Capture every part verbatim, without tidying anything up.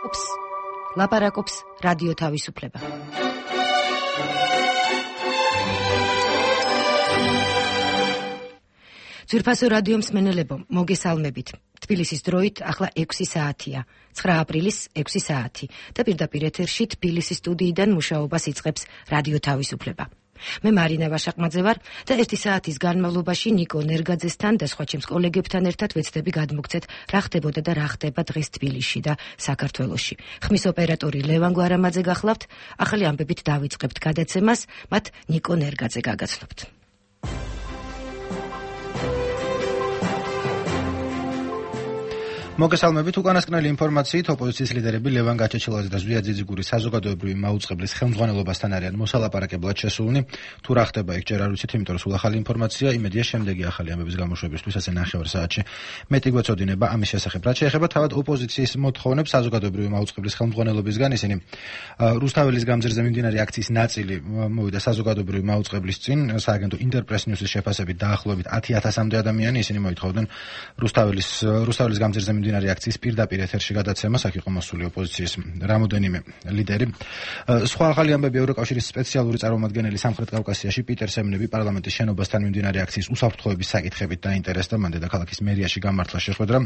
ოპს, ლაპარაკობს რადიო თავისუფლება. ძვირფასო რადიო მსმენელებო, მოგესალმებით. თბილისის დროით ახლა ექვსი საათია, ცხრა აპრილის ექვსი საათი და პირდაპირ ეთერში თბილისის სტუდიიდან მუშაობას იწყებს რადიო თავისუფლება. მე მარინა ვაშაყმაძე ვარ და ერთი საათის განმავლობაში ნიკო ნერგაძესთან და სხვა ჩემს კოლეგებთან ერთად ვეცდები გადმოგცეთ რა ხდებოდა და რა ხდება დღეს თბილისში და საქართველოში. ხმის ოპერატორი ლევან გვარამაძე გახლავთ, ახალი ამბებით დავიწყებთ გადაცემას, მათ ნიკო ნერგაძე გაგაცნობთ. მოგესალმებით. უკანასკნელი ინფორმაციით ოპოზიციის ლიდერები ლევან გაჩეჩილაძე და ზვია ძიძიგური საზოგადოებრივი მაუწყებლის ხელმძღვანელობასთან არიან მოსალაპარაკებლად შესულნი. თუ რა ხდება იქ ჯერ არ ვიცით, იმიტომ რომ სულ ახალი ინფორმაცია, იმედია შემდეგი ახალი ამბების გამოშვებისთვის ასე ნახევარ საათში მეტი გვეწოდინება ამის შესახებ. რაც შეეხება თავად ოპოზიციის მოთხოვნებს საზოგადოებრივი მაუწყებლის ხელმძღვანელობისგან, ისინი რუსთაველის გამზირზე მიმდინარე აქციის ნაწილი მოვიდა საზოგადოებრივი მაუწყებლის წინ, სააგენტო ინტერპრეს ნიუსის შეფასებით დაახლოებით ათი ათასამდე ადამიანი, ისინი მოითხოვდნენ რუსთაველის რუსთაველის გამზირზე მიმდინარე აქციის პირდაპირ ეთერში გადაცემას, აქ იყო მოსული ოპოზიციის რამოდენიმე ლიდერი. სხვა ახალი ამბები ევროკავშირის სპეციალური წარმომადგენელი სამხრეთ კავკასიაში პიტერ სემნები პარლამენტის შენობასთან მიმდინარე აქციის უსაფრთხოების საკითხებით დაინტერესდა, მან დედაქალაქის მერიაში გამართლა შეხვედრა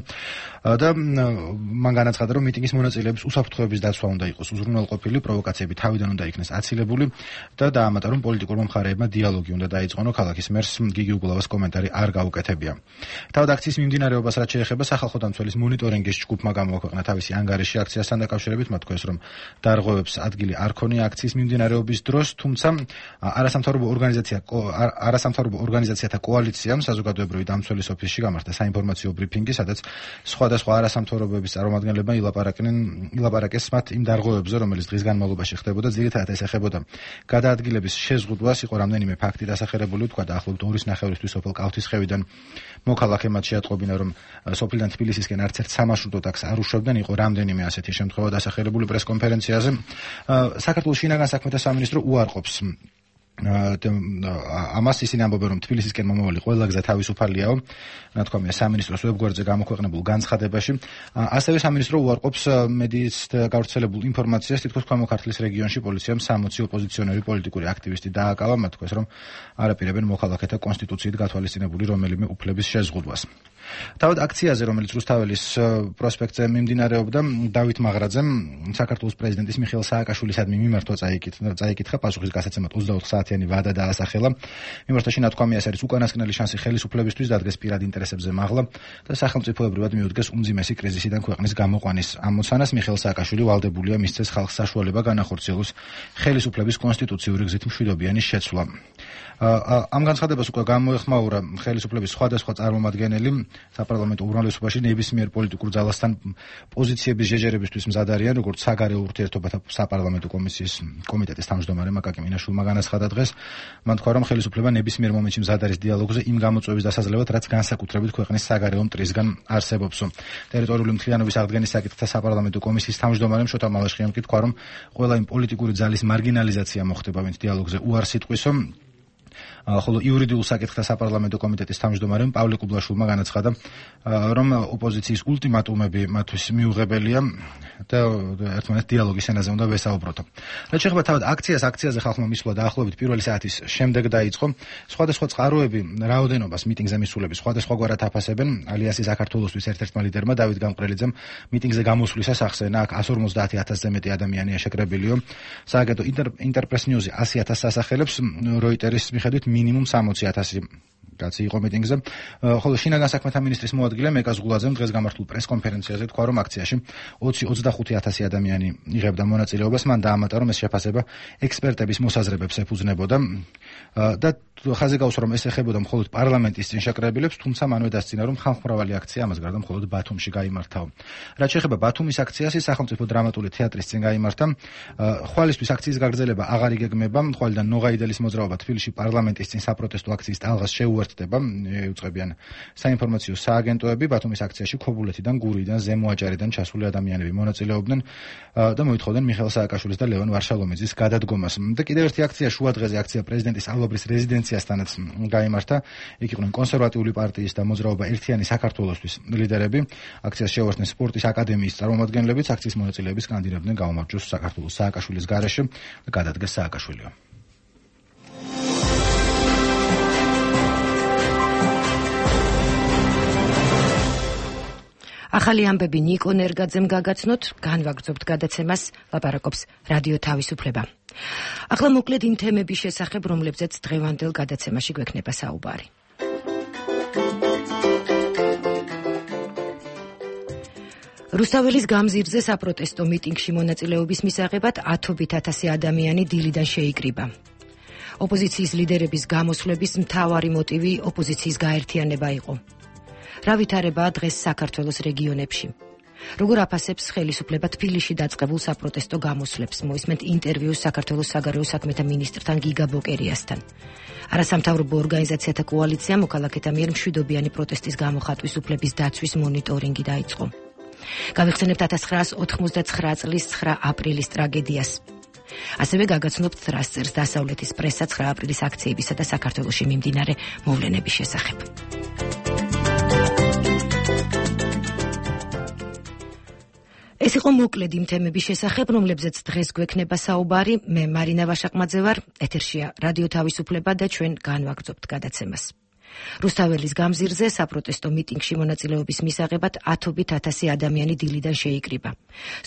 და მან განაცხადა, რომ მიტინგის მონაწილეებს უსაფრთხოების დაცვა უნდა იყოს უზრუნველყოფილი, პროვოკაციები თავიდან უნდა იქნეს აცილებული და დაამატა, რომ პოლიტიკურმა მხარეებმა დიალოგი უნდა დაიწყონო, ქალაქის მერს გიგი უგულავას კომენტარი არ გაუკეთებია. თავად აქციის მიმდინარეობას რაც შეეხება სახალხო დამცველის მონიტორინგის ჯგუფმა გამოაქვეყნა თავისი ანგარიში აქციასთან დაკავშირებით, მათ თქვეს, რომ დარღვევებს ადგილი არ ქონია აქციის მიმდინარეობის დროს, თუმცა არასამთავრობო ორგანიზაცია არასამთავრობო ორგანიზაციათა კოალიციამ საზოგადოებრივი დამცველის ოფისში გამართა საინფორმაციო ბრიფინგი, სადაც სხვადასხვა არასამთავრობოების წარმომადგენლებმა ილაპარაკნენ ილაპარაკეს მათ იმ დარღვევებზე, რომელიც დღის განმავლობაში ხდებოდა, ძირითადად ეს ეხებოდა გადაადგილების შეზღუდვას, იყო რამდენიმე ფაქტი დასახელებული, თქვა დაახლოებით ორის ნახევრისთვის სოფელ კავთისხევიდან მოქალაქემად შეატყობინა, რომ სოფლიდან თბილისისკენ არც ერთ სამარშრუტო ტაქსს არ უშვებდნენ, იყო რამდენიმე ასეთი შემთხვევა დასახელებული პრესკონფერენციაზე. საქართველოს შინაგან საქმეთა სამინისტრო უარყოფს ამას, ისინი ამბობენ, რომ თბილისისკენ მომავალი ყველა გზა თავისუფალიაო, ნათქვამია სამინისტროს ვებგვერდზე გამოქვეყნებულ განცხადებაში. ასევე სამინისტრო უარყოფს მედიის გავრცელებულ ინფორმაციას, თითქოს ქვემო ქართლის რეგიონში პოლიციამ სამოცი ოპოზიციონერი პოლიტიკური აქტივისტი დააკავა, მათ თქვეს, რომ არაპირებენ მოქალაქეთა კონსტიტუციით გათვალისწინებული რომელიმე უფლების შეზღუდვას. თავად აქციაზე, რომელიც რუსთაველის პროსპექტზე მიმდინარეობდა, დავით მაღრაძემ საქართველოს პრეზიდენტის მიხეილ სააკაშვილისადმი მიმართვა წაიკითხა პასუხის გასაცემად ოცდაოთხ საათიანი ვადა დაასახელა. მიმართვაში ნათქვამია, ეს არის უკანასკნელი შანსი ხელისუფლებისთვის დადგეს პირად ინტერესებზე მაღლა და სახელმწიფოებრივად მიუდგეს უმძიმესი კრიზისიდან ქვეყნის გამოყვანის ამოცანას. მიხეილ სააკაშვილი ვალდებულია მისცეს ხალხს საშუალება განახორციელოს ხელისუფლების კონსტიტუციური გზით მშვიდობიანი შეცვლა. ამ განცხადებას უკვე გამოეხმაურა ხელისუფლების სხვადასხვა წარმომადგენელი. საპარლამენტო უმრავლესობაში ნებისმიერ პოლიტიკურ ძალასთან პოზიციების შეჯერებისთვის მზად არიან, როგორც საგარეო ურთიერთობათა საპარლამენტო კომისიის კომიტეტის თავმჯდომარე მაკაკი მინაშვილმა განაცხადა დღეს. მან თქვა, რომ ხელისუფლება ნებისმიერ მომენტში მზად არის დიალოგზე იმ გამოწვევის დასაძლევად, რაც განსაკუთრებით ქვეყნის საგარეო მტრისგან არსებობს. ტერიტორიული მთლიანობის აღდგენის საკითხთა საპარლამენტო კომისიის თავმჯდომარემ შოთა მალაშხიამ კი თქვა, რომ ყველა იმ პოლიტიკური ძალის მარგინალიზაცია მოხდება, ვინც დიალოგზე უარს იტყვისო. ხოლო იურიდიულ საკითხთა საპარლამენტო კომიტეტის თავმჯდომარემ პავლე კუბლაშვილმა განაცხადა, რომ ოპოზიციის ულტიმატუმები მათთვის მიუღებელია და ერთმანეთს დიალოგის ენაზე უნდა ვესაუბროთ. რაც შეეხება თავად აქციას, აქციაზე ხალხმა მისვლა დაახლოებით პირველი საათის შემდეგ დაიწყო. სხვადასხვა წყაროები რაოდენობას მიტინგზე მისულების სხვადასხვაგვარად აფასებენ. ალიანსი საქართველოსთვის ერთ-ერთმა ლიდერმა დავით გამყრელიძემ მიტინგზე გამოსვლისას ახსენა, აქ ასი ორმოცდაათი ათასზე მეტი ადამიანია შეკრებილიო. სააგენტო ინტერპრეს ნიუსი ასი ათასს ასახელებს, როიტერის მიხედვით მინიმუმ სამოცი ათასი კაცი იყო მიტინგზე. ხოლო შინაგან საქმეთა მინისტრის მოადგილე მეკას გულაძემ დღეს გამართულ პრესკონფერენციაზე თქვა, რომ აქციაში ოცი ოცდახუთი ათასი ადამიანი იღებდა მონაწილეობას. მან დაამატა, რომ ეს შეფასება ექსპერტების მოსაზრებებს ეფუძნებოდა და ხაზი გაუსვა, რომ ეს ეხებოდა მხოლოდ პარლამენტის წინ შეკრებილებს, თუმცა მანვე დასცინა, რომ ხალხმრავალი აქცია ამას გარდა მხოლოდ ბათუმში გაიმართაო. რაც შეეხება ბათუმის აქციას, ის სახელმწიფო დრამატული თეატრის წინ გაიმართა. ხვალისთვის აქციის გაგრძელება აღარ იგეგმება. ხვალიდან ნოღაიდელის მოძრაობა თბილისში პარლამენტის წინ საპროტესტო აქციის ტალღას შეუერთდა შეუერთდება, იუწყებიან საინფორმაციო სააგენტოები. ბათუმის აქციაში ქობულეთიდან, გურიდან, ზემო აჭარიდან ჩასული ადამიანები მონაწილეობდნენ და მოითხოვდნენ მიხეილ სააკაშვილის და ლევან ვარშალომიძის გადადგომას. და კიდევ ერთი აქცია შუადღეზე აქცია პრეზიდენტის ალვაბრის რეზიდენციასთანაც გაიმართა. იქ იყვნენ კონსერვატიული პარტიის და მოძრაობა ერთიანი საქართველოსთვის ლიდერები. აქციას შეუერთდნენ სპორტის აკადემიის წარმომადგენლებიც. აქციის მონაწილეები სკანდირებდნენ გაუმარჯოს საქართველოს სააკაშვილის გარეშე და გადადგეს სააკაშვილიო. ახალი ამბები ნიკო ნერგაძემ გაგაცნოთ, განვაგრძობთ გადაცემას, ლაპარაკობს რადიო თავისუფლება. ახლა მოკლედ იმ თემების შესახებ, რომლებზეც დღევანდელ გადაცემაში გვექნება საუბარი. რუსთაველის გამზირზე საპროტესტო მიტინგში მონაწილეობის მისაღებად ათობით ათასი ადამიანი დილიდან შეიკრიბა. ოპოზიციის ლიდერების გამოსვლების მთავარი მოტივი ოპოზიციის გაერთიანება იყო. რა ვითარებაა დღეს საქართველოს რეგიონებში? როგორ აფასებს ხელისუფლება თბილისში დაწყებულ საპროტესტო გამოსვლებს? მოისმენთ ინტერვიუს საქართველოს საგარეო საქმეთა მინისტრთან გიგა ბოკერიასთან. არასამთავრობო ორგანიზაციათა კოალიცია მოქალაქეთა მიერ მშვიდობიანი პროტესტის გამოხატვის უფლების დაცვის მონიტორინგი დაიწყო. გავიხსენებთ ათას ცხრაას ოთხმოცდაცხრა წლის ცხრა აპრილის ტრაგედიას. ასევე გაგაცნობთ რას წერს დასავლეთის პრესა ცხრა აპრილის აქციებისა და საქართველოში მიმდინარე მოვლენების შესახებ. ეს იყო მოკლედ იმ თემების შესახებ, რომლებზეც დღეს გვექნება საუბარი. მე მარინა ვაშაკმაძე ვარ, ეთერშია რადიო თავისუფლება და ჩვენ განვაგრძობთ გადაცემას. რუსთაველის გამზირზე საპროტესტო მიტინგში მონაწილეობის მისაღებად ათობით ათასი ადამიანი დილიდან შეიკრიბა.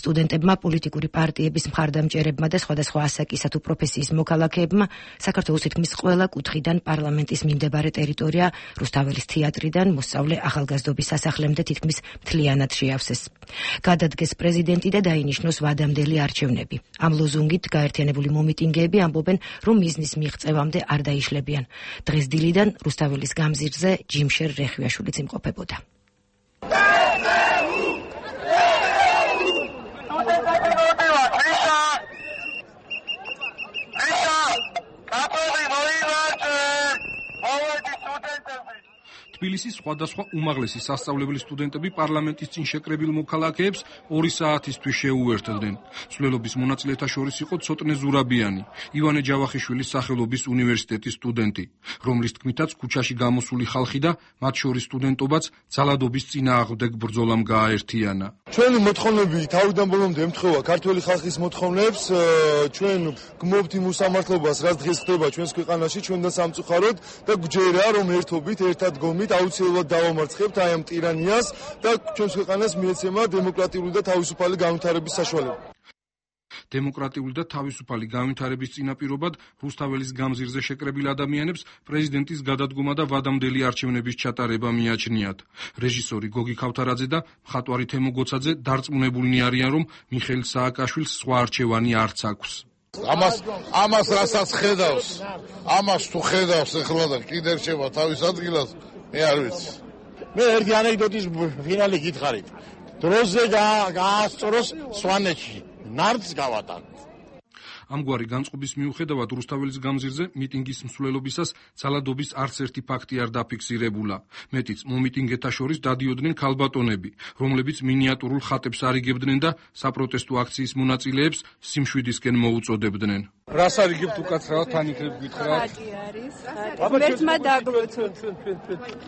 სტუდენტებმა, პოლიტიკური პარტიების მხარდამჭერებმა და სხვადასხვა ასაკისა თუ პროფესიის მოქალაქეებმა საქართველოს თითქმის ყველა კუთხიდან პარლამენტის მიმდებარე ტერიტორია რუსთაველის თეატრიდან მოსწავლე ახალგაზრდობის სასახლემდე თითქმის მთლიანად შეავსეს. გადადგეს პრეზიდენტი და დაინიშნოს ვადამდელი არჩევნები. ამ ლოზუნგით გაერთიანებული მომიტინგეები ამბობენ, რომ მიზნის მიღწევამდე არ დაიშლებიან. დღეს დილიდან რუსთაველის გამზირზე ჯიმშერ რეხვიაშვილიც იმყოფებოდა. თბილისის სხვადასხვა უმაღლესი სასწავლებელი სტუდენტები პარლამენტის წინ შეკრებილ მოქალაქეებს ორი საათისთვის შეუერთდნენ. მსვლელობის მონაწილეთა შორის იყო ცოტნე ზურაბიანი, ივანე ჯავახიშვილის სახელობის უნივერსიტეტის სტუდენტი, რომლის თქმითაც ქუჩაში გამოსული ხალხი და მათ შორის სტუდენტობაც ძალადობის წინააღმდეგ ბრძოლამ გააერთიანა. ჩვენი მოთხოვნები თავიდან ბოლომდე ემთხვევა ქართველი ხალხის მოთხოვნებს, ჩვენ გმობთ იმ უსამართლობას, რაც დღეს ხდება ჩვენს ქვეყანაში, ჩვენთან სამწუხაროდ და გვჯერა, რომ ერთობით, ერთად გომით აუცილებლად დავამარცხებთ აი ამ ტირანიას და ჩვენს ქვეყანას მიეცემა დემოკრატიული და თავისუფალი განვითარების საშუალება. დემოკრატიული და თავისუფალი განვითარების წინაპირობად რუსთაველის გამზირზე შეკრებილ ადამიანებს პრეზიდენტის გადადგომა და ვადამდელი არჩევნების ჩატარება მიაჩნიათ. რეჟისორი გოგი ქავთარაძე და მხატვარი თემო გოცაძე დარწმუნებულნი არიან, რომ მიხეილ სააკაშვილს სხვა არჩევანი არც აქვს. ამას ამას რასაც ხედავს, ამას თუ ხედავს ეხლა და კიდე რჩება თავის ადგილას, მე არ ვიცი. მე ერთი ანეკდოტის ფინალი გითხარით. დროზე გაასწოროს სვანეთში, ნარდს გავატანოთ. ამგვარი განწყობის მიუხედავად რუსთაველის გამზირზე მიტინგის მსვლელობისას ძალადობის არც ერთი ფაქტი არ დაფიქსირებულა. მეტიც, მომიტინგეთა შორის დადიოდნენ ქალბატონები, რომლებიც მინიატურულ ხატებს არიგებდნენ და საპროტესტო აქციის მონაწილეებს სიმშვიდისკენ მოუწოდებდნენ. რას არიგებთ უკაცრავად თან იქნებ გითხრათ? ხატი არის. ღმერთმა დაგლოცოთ.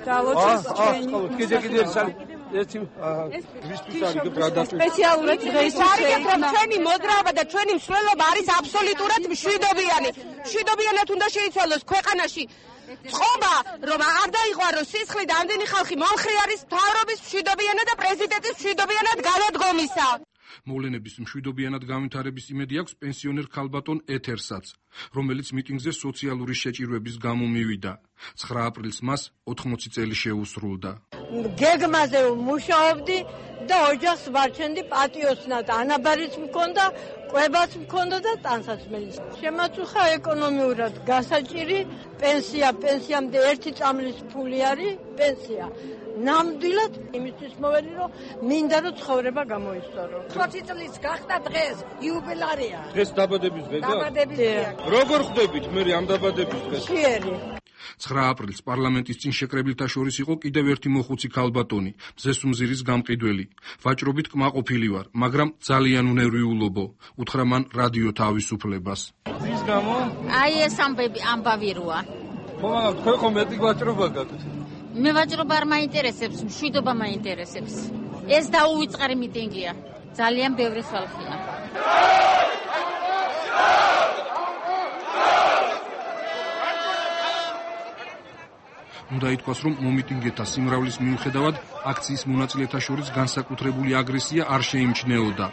დალოცოს ჩვენი. კიდე კიდე ერთი ვისთვის არიგებთ რა დაწვით? სპეციალურად დღეისთვის არიგებთ, რომ ჩვენი მოძრაობა და ჩვენი მსვლელობა არის აბსოლუტურად მშვიდობიანი. მშვიდობიანად უნდა შეიცვალოს ქვეყანაში. წყობა, რომ არ დაიყვაროს სისხლი და ამდენი ხალხი მომხრე არის მთავრობის მშვიდობიანად და პრეზიდენტის მშვიდობიანად გადადგომისა. მოვლენების მშვიდობიანად განვითარების იმედი აქვს პენსიონერ ქალბატონ ეთერსაც, რომელიც მიტინგზე სოციალური შეჭირვების გამო მივიდა. ცხრა აპრილს მას ოთხმოცი წელი შეუსრულდა. გეგმაზე მუშაობდი და ოჯახს ვარჩენდი პატიოსნად, ანაბარიც მქონდა, კვებაც მქონდა და ტანსაცმელი. შემაწუხა ეკონომიურად გასაჭირი პენსია, პენსიამდე ერთი წამლის ფული არის პენსია. ნამდვილად იმისთვის მოვედი, რომ მინდა რომ ცხოვრება გამოისწორო. ოცი წლის გახდა დღეს, იუბილარია. დღეს დაბადების დღეა? დაბადების დღეა. როგორ ხვდებით მე ამ დაბადების დღეს? ხიერი. ცხრა აპრილს პარლამენტის წინ შეკრებილთა შორის იყო კიდევ ერთი მოხუცი ქალბატონი, მზესუმზირის გამყიდველი. ვაჭრობით კმაყოფილი ვარ, მაგრამ ძალიან უნერვიულობო, უთხრა მან რადიო თავისუფლებას. რის გამო? აი ეს ამბები ამბავი როა. ხო, მაგრამ თქვენ ხომ მეტი ვაჭრობა გაქვთ? მე ვაჭრობა არ მაინტერესებს, მშვიდობა მაინტერესებს. ეს დაუვიწყარი მიტინგია. ძალიან ბევრი ხალხია. უნდა ითქვას, რომ მომიტინგეთა სიმრავლის მიუხედავად აქციის მონაწილეთა შორის განსაკუთრებული აგრესია არ შეიმჩნეოდა.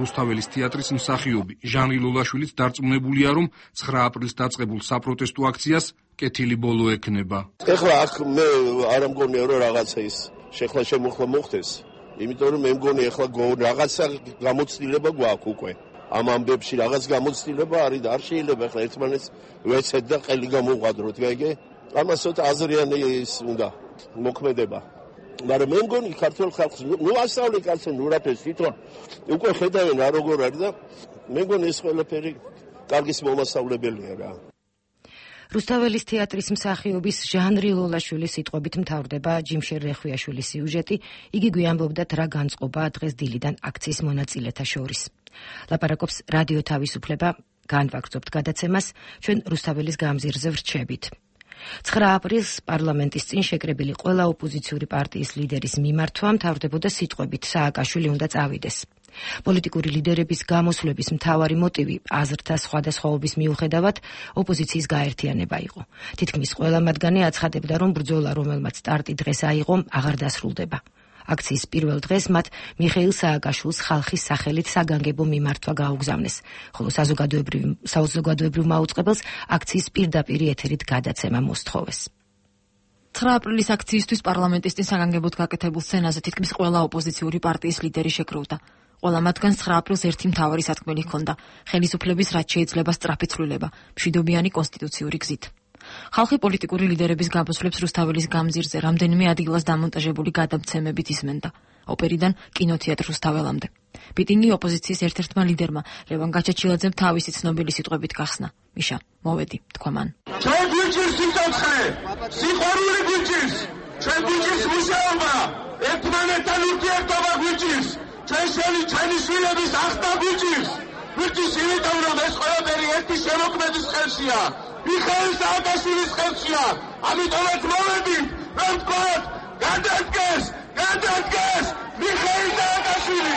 რუსთაველის თეატრის მსახიობი ჟანრი ლოლაშვილიც დარწმუნებულია, რომ ცხრა აპრილს დაწყებულ საპროტესტო აქციას კეთილი ბოლო ექნება. ეხლა აქ მე არ მგონია რომ რაღაცა ის შეხლა შემოხლა მოხდეს, იმიტომ რომ მე მგონი ეხლა რაღაცა გამოცდილება გვაქვს უკვე. ამ ამბებში რაღაც გამოცდილება არის და არ შეიძლება ეხლა ერთმანეთს ვეცეთ და ყელი გამოვყადროთ, გაიგე? ამას ცოტა აზრიანი ის უნდა მოქმედება. მაგრამ მე მგონი ქართულ ხალხს ნუ ასწავლე კაცო ნუ რაფერს თვითონ უკვე ხედავენ რა როგორ არის და მე მგონი ეს ყველაფერი კარგის მომასწავლებელია რა. რუსთაველის თეატრის მსახიობის ჟანრი ლოლაშვილის სიტყვებით მთავრდება ჯიმშერ რეხვიაშვილის სიუჟეტი. იგი გვიამბობდა რა განწყობაა დღეს დილიდან აქციის მონაწილეთა შორის. ლაპარაკობს რადიო თავისუფლება, განვაგრძობთ გადაცემას, ჩვენ რუსთაველის გამზირზე ვრჩებით. ცხრა აპრილს პარლამენტის წინ შეკრებილი ყველა ოპოზიციური პარტიის ლიდერის მიმართვა მთავრდებოდა სიტყვებით სააკაშვილი უნდა წავიდეს. პოლიტიკური ლიდერების გამოსვლების მთავარი მოტივი აზრთა სხვადასხვაობის მიუხედავად ოპოზიციის გაერთიანება იყო. თითქმის ყველა მათგანი აცხადებდა, რომ ბრძოლა, რომელმაც სტარტი დღეს აიღო, აღარ დასრულდება. აქციის პირველ დღეს მათ მიხეილ სააკაშვილს ხალხის სახელით საგანგებო მიმართვა გაუგზავნეს, ხოლო საზოგადოებრივ მაუწყებელს აქციის პირდაპირი ეთერით გადაცემა მოსთხოვეს. ცხრა აპრილის აქციისთვის პარლამენტის წინ საგანგებოდ გაკეთებულ სცენაზე თითქმის ყველა ოპოზიციური პარტიის ლიდერი შეკროვდა. ყველა მათგანს ცხრა აპრილს ერთი მთავარი სათქმელი ჰქონდა: ხელისუფლების რაც შეიძლება სწრაფი ცვლილება, მშვიდობიანი კონსტიტუციური გზით. ხალხი პოლიტიკური ლიდერების გამოსვლებს რუსთაველის გამზირზე რამდენიმე ადგილას დამონტაჟებული გადამცემებით ისმენდა, ოპერიდან კინოთეატრ რუსთაველამდე. მიტინგი ოპოზიციის ერთ-ერთმა ლიდერმა ლევან გაჩაჩილაძემ თავისი ცნობილი სიტყვებით გახსნა. მიშა, მოვედი, თქვა მან. ჩვენ გვიჭირს სიცოცხლე, სიყვარული გვიჭირს, ჩვენ გვიჭირს მუშაობა, ერთმანეთთან ურთიერთობა გვიჭირს, ჩვენ შენი ჩვენი შვილების ახსნა გვიჭირს. გვიჭირს იმიტომ, რომ ეს ყველაფერი ერთი შემოქმედის ხელშია. მიხეილ სააკაშვილის ხელშია. ამიტომაც მოვედით, რომ თქვათ, გადადგეს, გადადგეს მიხეილ სააკაშვილი.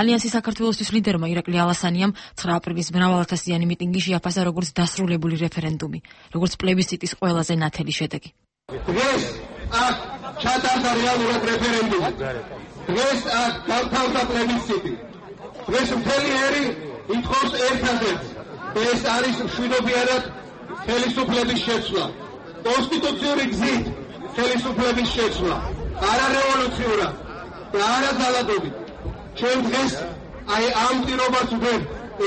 ალიანსის საქართველოსთვის ლიდერმა ირაკლი ალასანიამ ცხრა აპრილის მრავალათასიანი მიტინგი შეაფასა როგორც დასრულებული რეფერენდუმი, როგორც პლებისციტის ყველაზე ნათელი შედეგი. დღეს აქ ჩატარდა რეალურად რეფერენდუმი. დღეს აქ გავთავდა პლებისციტი. დღეს მთელი ერი ითხოვს ერთადერთს. ეს არის მშვიდობიანად ხელისუფლების შეცვლა. კონსტიტუციური გზით ხელისუფლების შეცვლა. არა რევოლუციურად და არა ძალადობით. ჩვენ დღეს აი ამ პირობას ვდებ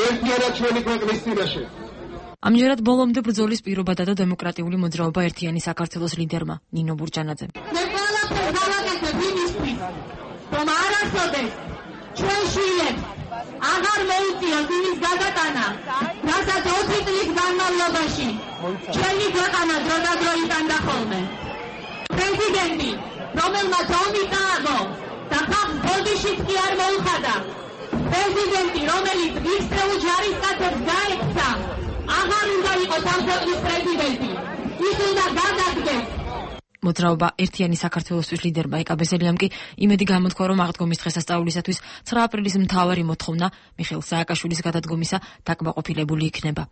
ერთიანად ჩვენი ქვეყნის წინაშე. ამჯერად ბოლომდე ბრძოლის პირობადა და დემოკრატიული მოძრაობა ერთიანი საქართველოს ლიდერმა ნინო ბურჯანაძემ. მე ყველაფერს გავაკეთებ იმისთვის, რომ არასოდეს ჩვენ შვილებს აღარ მოუწიოთ იმის გადატანა, რასაც ოცი წლის განმავლობაში ჩვენი ქვეყანა დროდადრო იტანდა ხოლმე. პრეზიდენტი, რომელმაც ომი წააგო და ხალხს ბოდიშიც კი არ მოუხადა, პრეზიდენტი, რომელიც ისწრეულ ჯარისკაცებს გაექცა, აღარ უნდა იყოს ამ ქვეყნის პრეზიდენტი. ის უნდა გადადგეს. მოძრაობა ერთიანი საქართველოსთვის ლიდერმა ეკა ბეზელიამ კი იმედი გამოთქვა, რომ აღდგომის დღესასწაულისათვის ცხრა აპრილის მთავარი მოთხოვნა მიხეილ სააკაშვილის გადადგომისა დაკმაყოფილებული იქნება.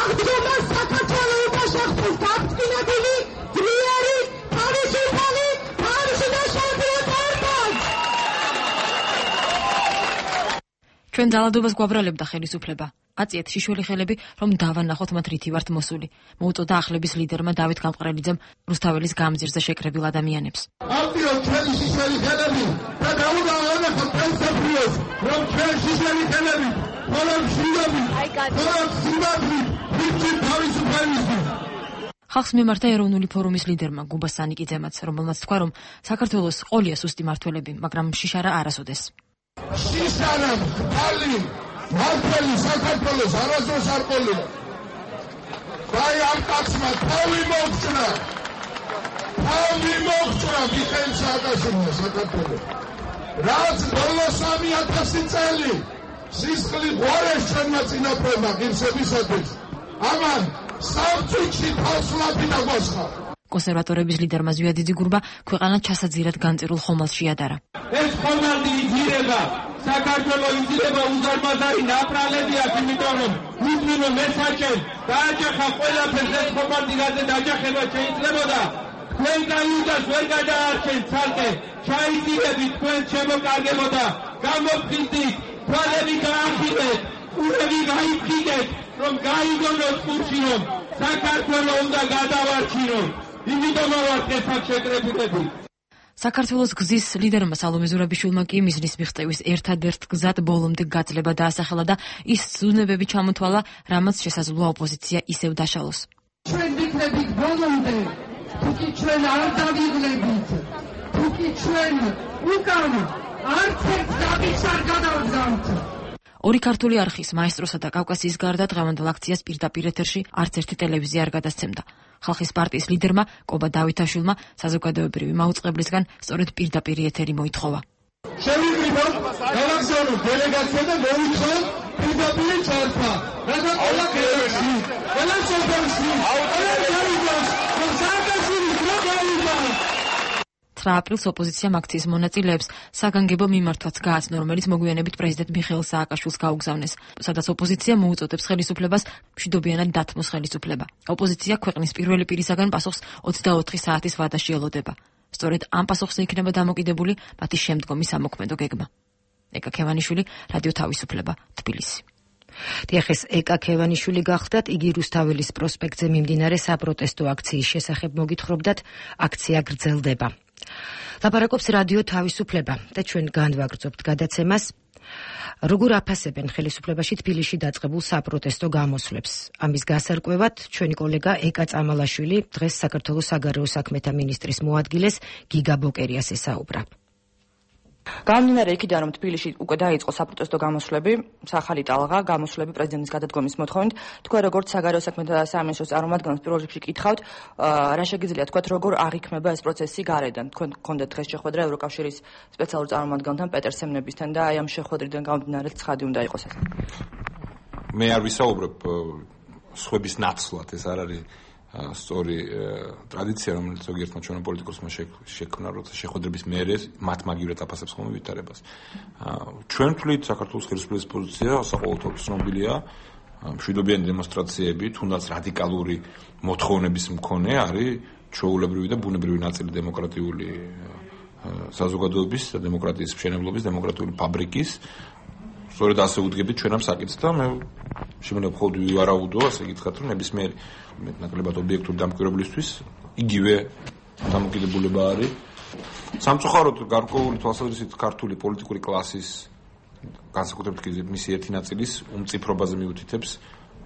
აღდგომა საქართველოს უშახტოს გაფრთხილებული ძლიერი თავისუფალი თავისუფალი პარტია. ჩვენ ძალადობას გვაბრალებდა ხელისუფლება. აწიეთ შიშველი ხელები, რომ დავანახოთ მათ რითი ვართ მოსული. მოუწოდა ახლების ლიდერმა დავით გამყრელიძემ რუსთაველის გამზირზე შეკრებილ ადამიანებს. აწიოთ ჩვენი შიშველი ხელები და დავანახოთ პრინციპიოს, რომ ჩვენ შიშველი ხელები, ხოლმე მშვიდობით, ხოლმე სიმართლით, ვიჭირთ თავისუფლებისთვის. ხალხს მიმართა ეროვნული ფორუმის ლიდერმა გუბა სანიკიძემაც, რომელმაც თქვა, რომ საქართველოს ყოლია სუსტი მართველები, მაგრამ შიშარა არასოდეს. შიშარა, ხალი მართალი საქართველოს არასდროს არ ყოლია. აი ამ კაცმა თავი მოგწნა. თავი მოგწნა მიხეილ სააკაშვილმა საქართველოს. რაც ბოლო სამი ათასი წელი სისხლი ღوارეს ჩვენმა წინაპრებმა ღირსებისათვის. ამან სამწუთში თავს ლაპი დაგვასხა. კონსერვატორების ლიდერმა ზვიადი ძიგურმა ქვეყანა ჩასაძირად განწირულ ხომალდში ადარა. ეს ხომალდი იძირება, საქართველოს იძირება უზარმაზარი ნაპრალები აქვს, იმიტომ რომ უძმინო მესაჭენ დააჯახა ყველაფერს ეს ხომალდი რაზე დაჯახება შეიძლებოდა. თქვენ გაიუდას ვერ გადაარჩენ ცალკე, ჩაიძირებით თქვენ შემოკარგებოდა, გამოფხიზდით, თვალები გაახილეთ, ყურები გაიფხიდეთ, რომ გაიგონოთ კურსი რომ საქართველოს უნდა გადავარჩინოთ. იმიტომ ვართ ეს აქ შეკრებილები. საქართველოს გზის ლიდერმა სალომე ზურაბიშვილმა კი მიზნის მიღწევის ერთადერთ გზად ბოლომდე გაძლება დაასახელა და ის ზუნებები ჩამოთვალა, რამაც შესაძლოა ოპოზიცია ისევ დაშალოს. ჩვენ ვიქნებით ბოლომდე, თუკი ჩვენ არ დავიღლებით, თუკი ჩვენ უკან არც ერთ დაბის არ გადავდგამთ. ორი ქართული არხის მაესტროსა და კავკასიის გარდა დღევანდელ აქციას პირდაპირ ეთერში არც ერთი ტელევიზია არ გადასცემდა. ხალხის პარტიის ლიდერმა კობა დავითაშვილმა საზოგადოებრივი მაუწყებლისგან სწორედ პირდაპირ ეთერი მოითხოვა. შევიკრიბოთ გავაგზავნოთ დელეგაცია და მოვითხოვოთ პირდაპირ ჩართვა. რათა ყველა ქვეყანაში, ყველა სოფელში, ყველა გაიგოს, რომ სააკაშვილის დრო გაიგო. ცხრა აპრილს ოპოზიციამ აქციის მონაწილეებს საგანგებო მიმართვაც გააცნო, რომელიც მოგვიანებით პრეზიდენტ მიხეილ სააკაშვილს გაუგზავნეს, სადაც ოპოზიცია მოუწოდებს ხელისუფლებას მშვიდობიანად დათმოს ხელისუფლება. ოპოზიცია ქვეყნის პირველი პირისაგან პასუხს ოცდაოთხი საათის ვადაში ელოდება. სწორედ ამ პასუხზე იქნება დამოკიდებული მათი შემდგომი სამოქმედო გეგმა. ეკა ქევანიშვილი, რადიო თავისუფლება, თბილისი. დიახ, ეკა ქევანიშვილი გახდათ, იგი რუსთაველის პროსპექტზე მიმდინარე საპროტესტო აქციის შესახებ მოგითხრობდათ, აქცია გრძელდება. ლაპარაკობს რადიო თავისუფლება და ჩვენ განვაგრძობთ გადაცემას. როგორ აფასებენ ხელისუფლებაში თბილისში დაწყებულ საპროტესტო გამოსვლებს? ამის გასარკვევად ჩვენი კოლეგა ეკა წამალაშვილი დღეს საქართველოს საგარეო საქმეთა მინისტრის მოადგილეს გიგა ბოკერიას ესაუბრა. გამომდინარე იქიდან, რომ თბილისში უკვე დაიწყო საპროტესტო გამოსვლები, სახალი ტალღა, გამოსვლები პრეზიდენტის გადადგომის მოთხოვნით, თქვენ როგორც საგარეო საქმეთა სამინისტროს წარმომადგენლს პირველ რიგში გითხავთ, რა შეგიძლიათ თქვათ, როგორ აღიქმება ეს პროცესი გარედან? თქვენ გქონდათ დღეს შეხვედრა ევროკავშირის სპეციალურ წარმომადგენელთან პეტერ სემნებისთან და აი ამ შეხვედრიდან გამომდინარე ცხადი უნდა იყოს ეს. მე არ ვისაუბრებ სხვების ნაცვლად, ეს არ არის სწორი ტრადიცია, რომელიც ზოგიერთმა ჩვენო პოლიტიკოსმა შექმნა, როცა შეხვედრების მერე მათ მაგივრად აფასებს ხოლმე ვითარებას. ჩვენ ვთვლით, საქართველოს ხელისუფლების პოზიცია საყოველთაოდ ცნობილია, მშვიდობიანი დემონსტრაციები, თუნდაც რადიკალური მოთხოვნების მქონე არის ჩვეულებრივი და ბუნებრივი ნაწილი დემოკრატიული საზოგადოების და დემოკრატიის მშენებლობის, დემოკრატიული ფაბრიკის. სწორედ ასე უდგებით ჩვენ ამ საკითხს და მე შემიძლია მხოლოდ ვივარაუდო, ასე გითხრათ, რომ ნებისმიერი მეტნაკლებად ობიექტური დამკვირვებლისთვის იგივე დამოკიდებულება არის. სამწუხაროდ გარკვეული თვალსაზრისით ქართული პოლიტიკური კლასის განსაკუთრებით მისი ერთი ნაწილის უმწიფრობაზე მიუთითებს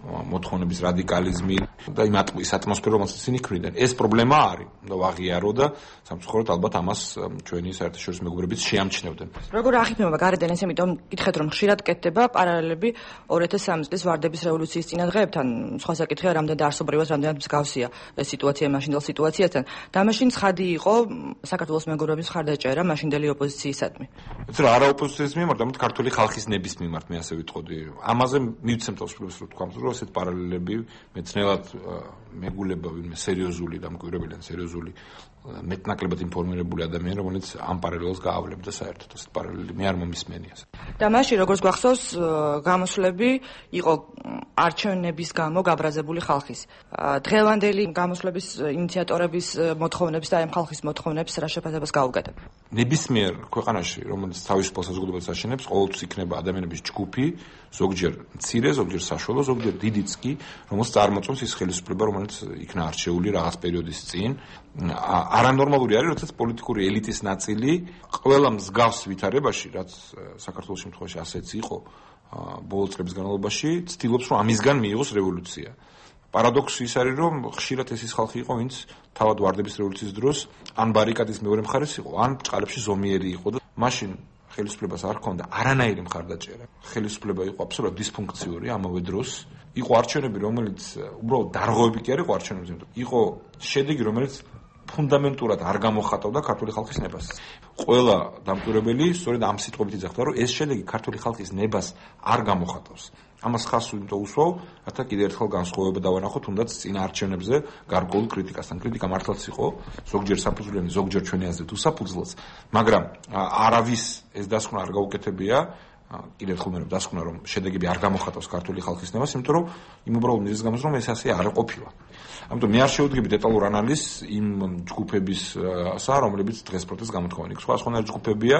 მოთხოვნების რადიკალიზმი და იმ ის ატმოსფერო, რომელსაც ისინი ქმნიან. ეს პრობლემა არის და ვაღიარო და სამწუხაროდ ალბათ ამას ჩვენი საერთაშორისო მეგობრებიც შეამჩნევდნენ. როგორ აღიქმება გარედან ეს, იმიტომ გითხეთ, რომ ხშირად კეთდება პარალელები ორი ათას სამი წლის ვარდების რევოლუციის წინადღეებთან. სხვა საკითხია, რამდენად არსობრივად, რამდენად მსგავსია ეს სიტუაცია მაშინდელ სიტუაციასთან. და მაშინ ცხადი იყო საქართველოს მეგობრების მხარდაჭერა მაშინდელი ოპოზიციისადმი. ეცრა არა ოპოზიციის მიმართ, არამედ ქართული ხალხის ნების მიმართ, მე ასე ვიტყოდი. ამაზე მივცემ თავისუფლებას, რომ თქვა, რომ ასეთ პარალელები მეცნიერად მეგულება ვინმე სერიოზული დამკვირვებელი ან სერიოზული მეტნაკლებად ინფორმირებული ადამიანი, რომელიც ამ პარალელს გაავლებდა საერთოდ ასეთ პარალელი მე არ მომისმენია. და მაშინ როგორც გახსოვს, გამოსვლები იყო არჩევნების გამო გაბრაზებული ხალხის. დღევანდელი გამოსვლების ინიციატორების მოთხოვნებს და ამ ხალხის მოთხოვნებს რა შეფასებას გაუგადებ? ნებისმიერ ქვეყანაში, რომელიც თავისუფალ საზოგადოებას აშენებს, ყოველთვის იქნება ადამიანების ჯგუფი, ზოგჯერ მცირე, ზოგჯერ საშუალო, ზოგჯერ დიდიც კი, რომელსაც წარმოწობს ის ხელისუფლება, რომელიც იქნა არჩეული რაღაც პერიოდის წინ. არანორმალური არის, როდესაც პოლიტიკური ელიტის ნაწილი ყველა მსგავს ვითარებაში, რაც საქართველოს შემთხვევაში ასეც იყო ბოლო წლების განმავლობაში, ცდილობს, რომ ამისგან მიიღოს რევოლუცია. პარადოქსი ის არის, რომ ხშირად ეს ის ხალხი იყო, ვინც თავად ვარდების რევოლუციის დროს ან ბარიკადის მეორე მხარეს იყო, ან ბრჭყალებში ზომიერი იყო და მაშინ ხელისუფლებას არ ჰქონდა არანაირი მხარდაჭერა. ხელისუფლება იყო აბსოლუტურად დისფუნქციური ამავე დროს. იყო არჩევნები, რომელიც უბრალოდ დარღვევები კი არ იყო არჩევნებზე, იყო შედეგი, რომელიც ფუნდამენტურად არ გამოხატავდა ქართული ხალხის ნებას. ყველა დამკვირვებელი სწორედ ამ სიტყვებით იძახდა, რომ ეს შედეგი ქართული ხალხის ნებას არ გამოხატავს. ამას ხას იმიტომ უსვავ, რათა კიდევ ერთხელ განსხვავება დავანახო თუნდაც წინა არჩევნებზე გარკვეულ კრიტიკასთან. კრიტიკა მართლაც იყო, ზოგჯერ საფუძვლიანი, ზოგჯერ ჩვენი აზრით უსაფუძვლოც, მაგრამ არავის ეს დასკვნა არ გაუკეთებია, კიდევ ერთხელ მე დასკვნა, რომ შედეგები არ გამოხატავს ქართული ხალხის ნებას, იმიტომ რომ იმ უბრალოდ მიზეზის გამო, რომ ეს ასე არ ყოფილა. ამიტომ მე არ შევდგები დეტალურ ანალიზს იმ ჯგუფებისა, რომლებიც დღეს პროტესტს გამოთქვამენ. იქ სხვა სხვანაირი ჯგუფებია,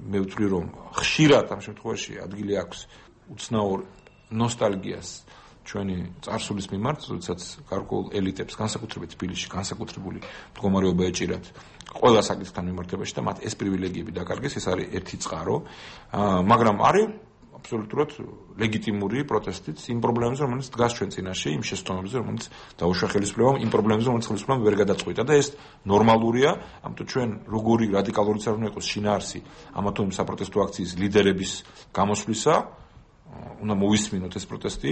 მე ვთვლი, რომ ხშირად ამ შემთხვევაში ადგილი აქვს უცნაურ ნოსტალგიას ჩვენი წარსულის მიმართ, როდესაც გარკვეულ ელიტებს, განსაკუთრებით თბილისში, განსაკუთრებული მდგომარეობა ეჭირათ ყველა საკითხთან მიმართებაში და მათ ეს პრივილეგიები დაკარგეს, ეს არის ერთი წყარო, მაგრამ არის აბსოლუტურად ლეგიტიმური პროტესტიც იმ პრობლემებზე, რომელიც დგას ჩვენ წინაშე, იმ შეცდომებზე, რომელიც დაუშვა ხელისუფლებამ, იმ პრობლემებზე, რომელიც ხელისუფლებამ ვერ გადაწყვიტა და ეს ნორმალურია, ამიტომ ჩვენ როგორი რადიკალურიც არ უნდა იყოს შინაარსი ამა თუ იმ საპროტესტო აქციის ლიდერების გამოსვლისა, უნდა მოვისმინოთ ეს პროტესტი,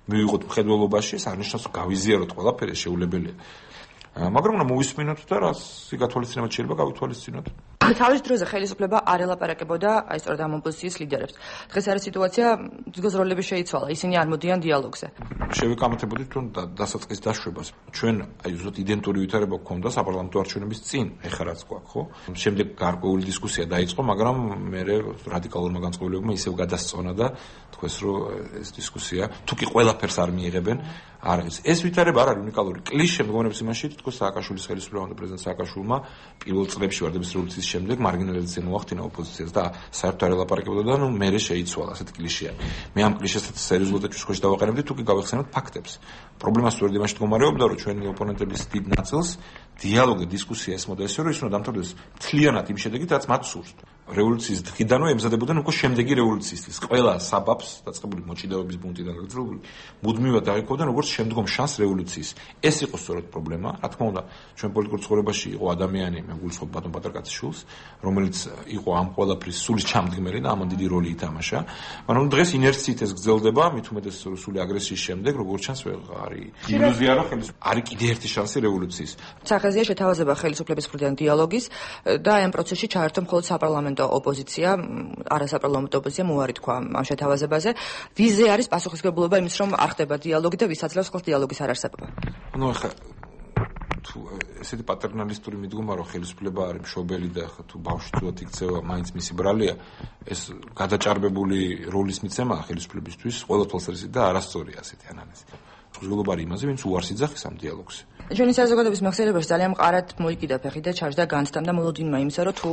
მივიღოთ მხედველობაში, ეს არნიშნავს რომ გავიზიაროთ ყველაფერი, შეუძლებელია. მაგრამ უნდა მოვისმინოთ და რას გათვალისწინებად შეიძლება გავითვალისწინოთ. თავის დროზე ხელისუფლება არ ელაპარაკებოდა აი სწორედ ამ ოპოზიციის ლიდერებს. დღეს არის სიტუაცია, ძგოს როლები შეიცვალა, ისინი არ მოდიან დიალოგზე. შევეკამათებოდით თუ დასაწყის დაშვებას. ჩვენ აი ზუსტად იდენტური ვითარება გვქონდა საპარლამენტო არჩევნების წინ, ეხლა რაც გვაქვს, ხო? შემდეგ გარკვეული დისკუსია დაიწყო, მაგრამ მე რადიკალურმა განწყობილებმა ისევ გადასწონა და თქვეს რომ ეს დისკუსია თუ კი ყველაფერს არ მიიღებენ, არ არის. ეს ვითარება არ არის უნიკალური. კლიშე მდგომარეობის იმაში, თქოს სააკაშვილის ხელისუფლებამ და პრეზიდენტ სააკაშვილმა პირველ წლებში ვარდების რევოლუციის შემდეგ მარგინალიზაცია მოახდინა ოპოზიციას და საერთოდ არ ელაპარაკებოდა და ნუ მერე შეიცვალა ასეთ კლიშეა. მე ამ კლიშესაც სერიოზულად ეჭვში დავაყენებდი, თუ კი გავეხსენოთ ფაქტებს. პრობლემა სწორედ იმაში მდგომარეობდა, რომ ჩვენი ოპონენტების დიდ ნაწილს დიალოგი, დისკუსია ესმოდა ესე, რომ ის უნდა დამთავრდეს მთლიანად იმ შედეგით, რაც მათ სურს. რევოლუციის დღიდანვე ემზადებოდნენ უკვე შემდეგი რევოლუციისთვის. ყველა საბაბს დაწყებული მოჭიდავების ბუნტიდან გაგრძელებული მუდმივად დაიხოვდნენ როგორც შემდგომ შანს რევოლუციის. ეს იყო სწორედ პრობლემა. რა თქმა უნდა, ჩვენ პოლიტიკურ ცხოვრებაში იყო ადამიანი, მე გულისხმობ ბატონ პატრკაციშვილს, რომელიც იყო ამ ყველაფრის სულის ჩამდგმელი და ამან დიდი როლი ითამაშა. მაგრამ დღეს ინერციით ეს გრძელდება, მით უმეტეს სული აგრესიის შემდეგ, როგორც ჩანს, არის ილუზია, რომ ხელისუფლება არის კიდე ერთი შანსი რევოლუციის. სახეზეა შეთავაზება ხელისუფლების მხრიდან დიალოგის და ამ პროცესში ჩაერთო მხოლოდ საპარლამენტო ოპოზიცია, არასაპარლამენტო ოპოზიცია უარი თქვა ამ შეთავაზებაზე. ვიზე არის პასუხისმგებლობა იმის, რომ არ ხდება დიალოგი და ვის აძლევს ხოლმე დიალოგის არარსებობა. ანუ ახლა თუ ესეთი პატერნალისტური მიდგომა, რომ ხელისუფლება არის მშობელი და ახლა თუ ბავშვი თუათ იქცევა, მაინც მისი ბრალია, ეს გადაჭარბებული როლის მიცემა ხელისუფლებისთვის ყველა თვალსაზრისით და არასწორია ასეთი ანალიზი. მსგლობა არის იმაზე, ვინც უარს იძახის ამ დიალოგს. ჩვენი საზოგადოების მეხსიერებაში ძალიან მყარად მოიკიდა ფეხი და ჩარჯდა განცდა და მოლოდინმა იმისა, რომ თუ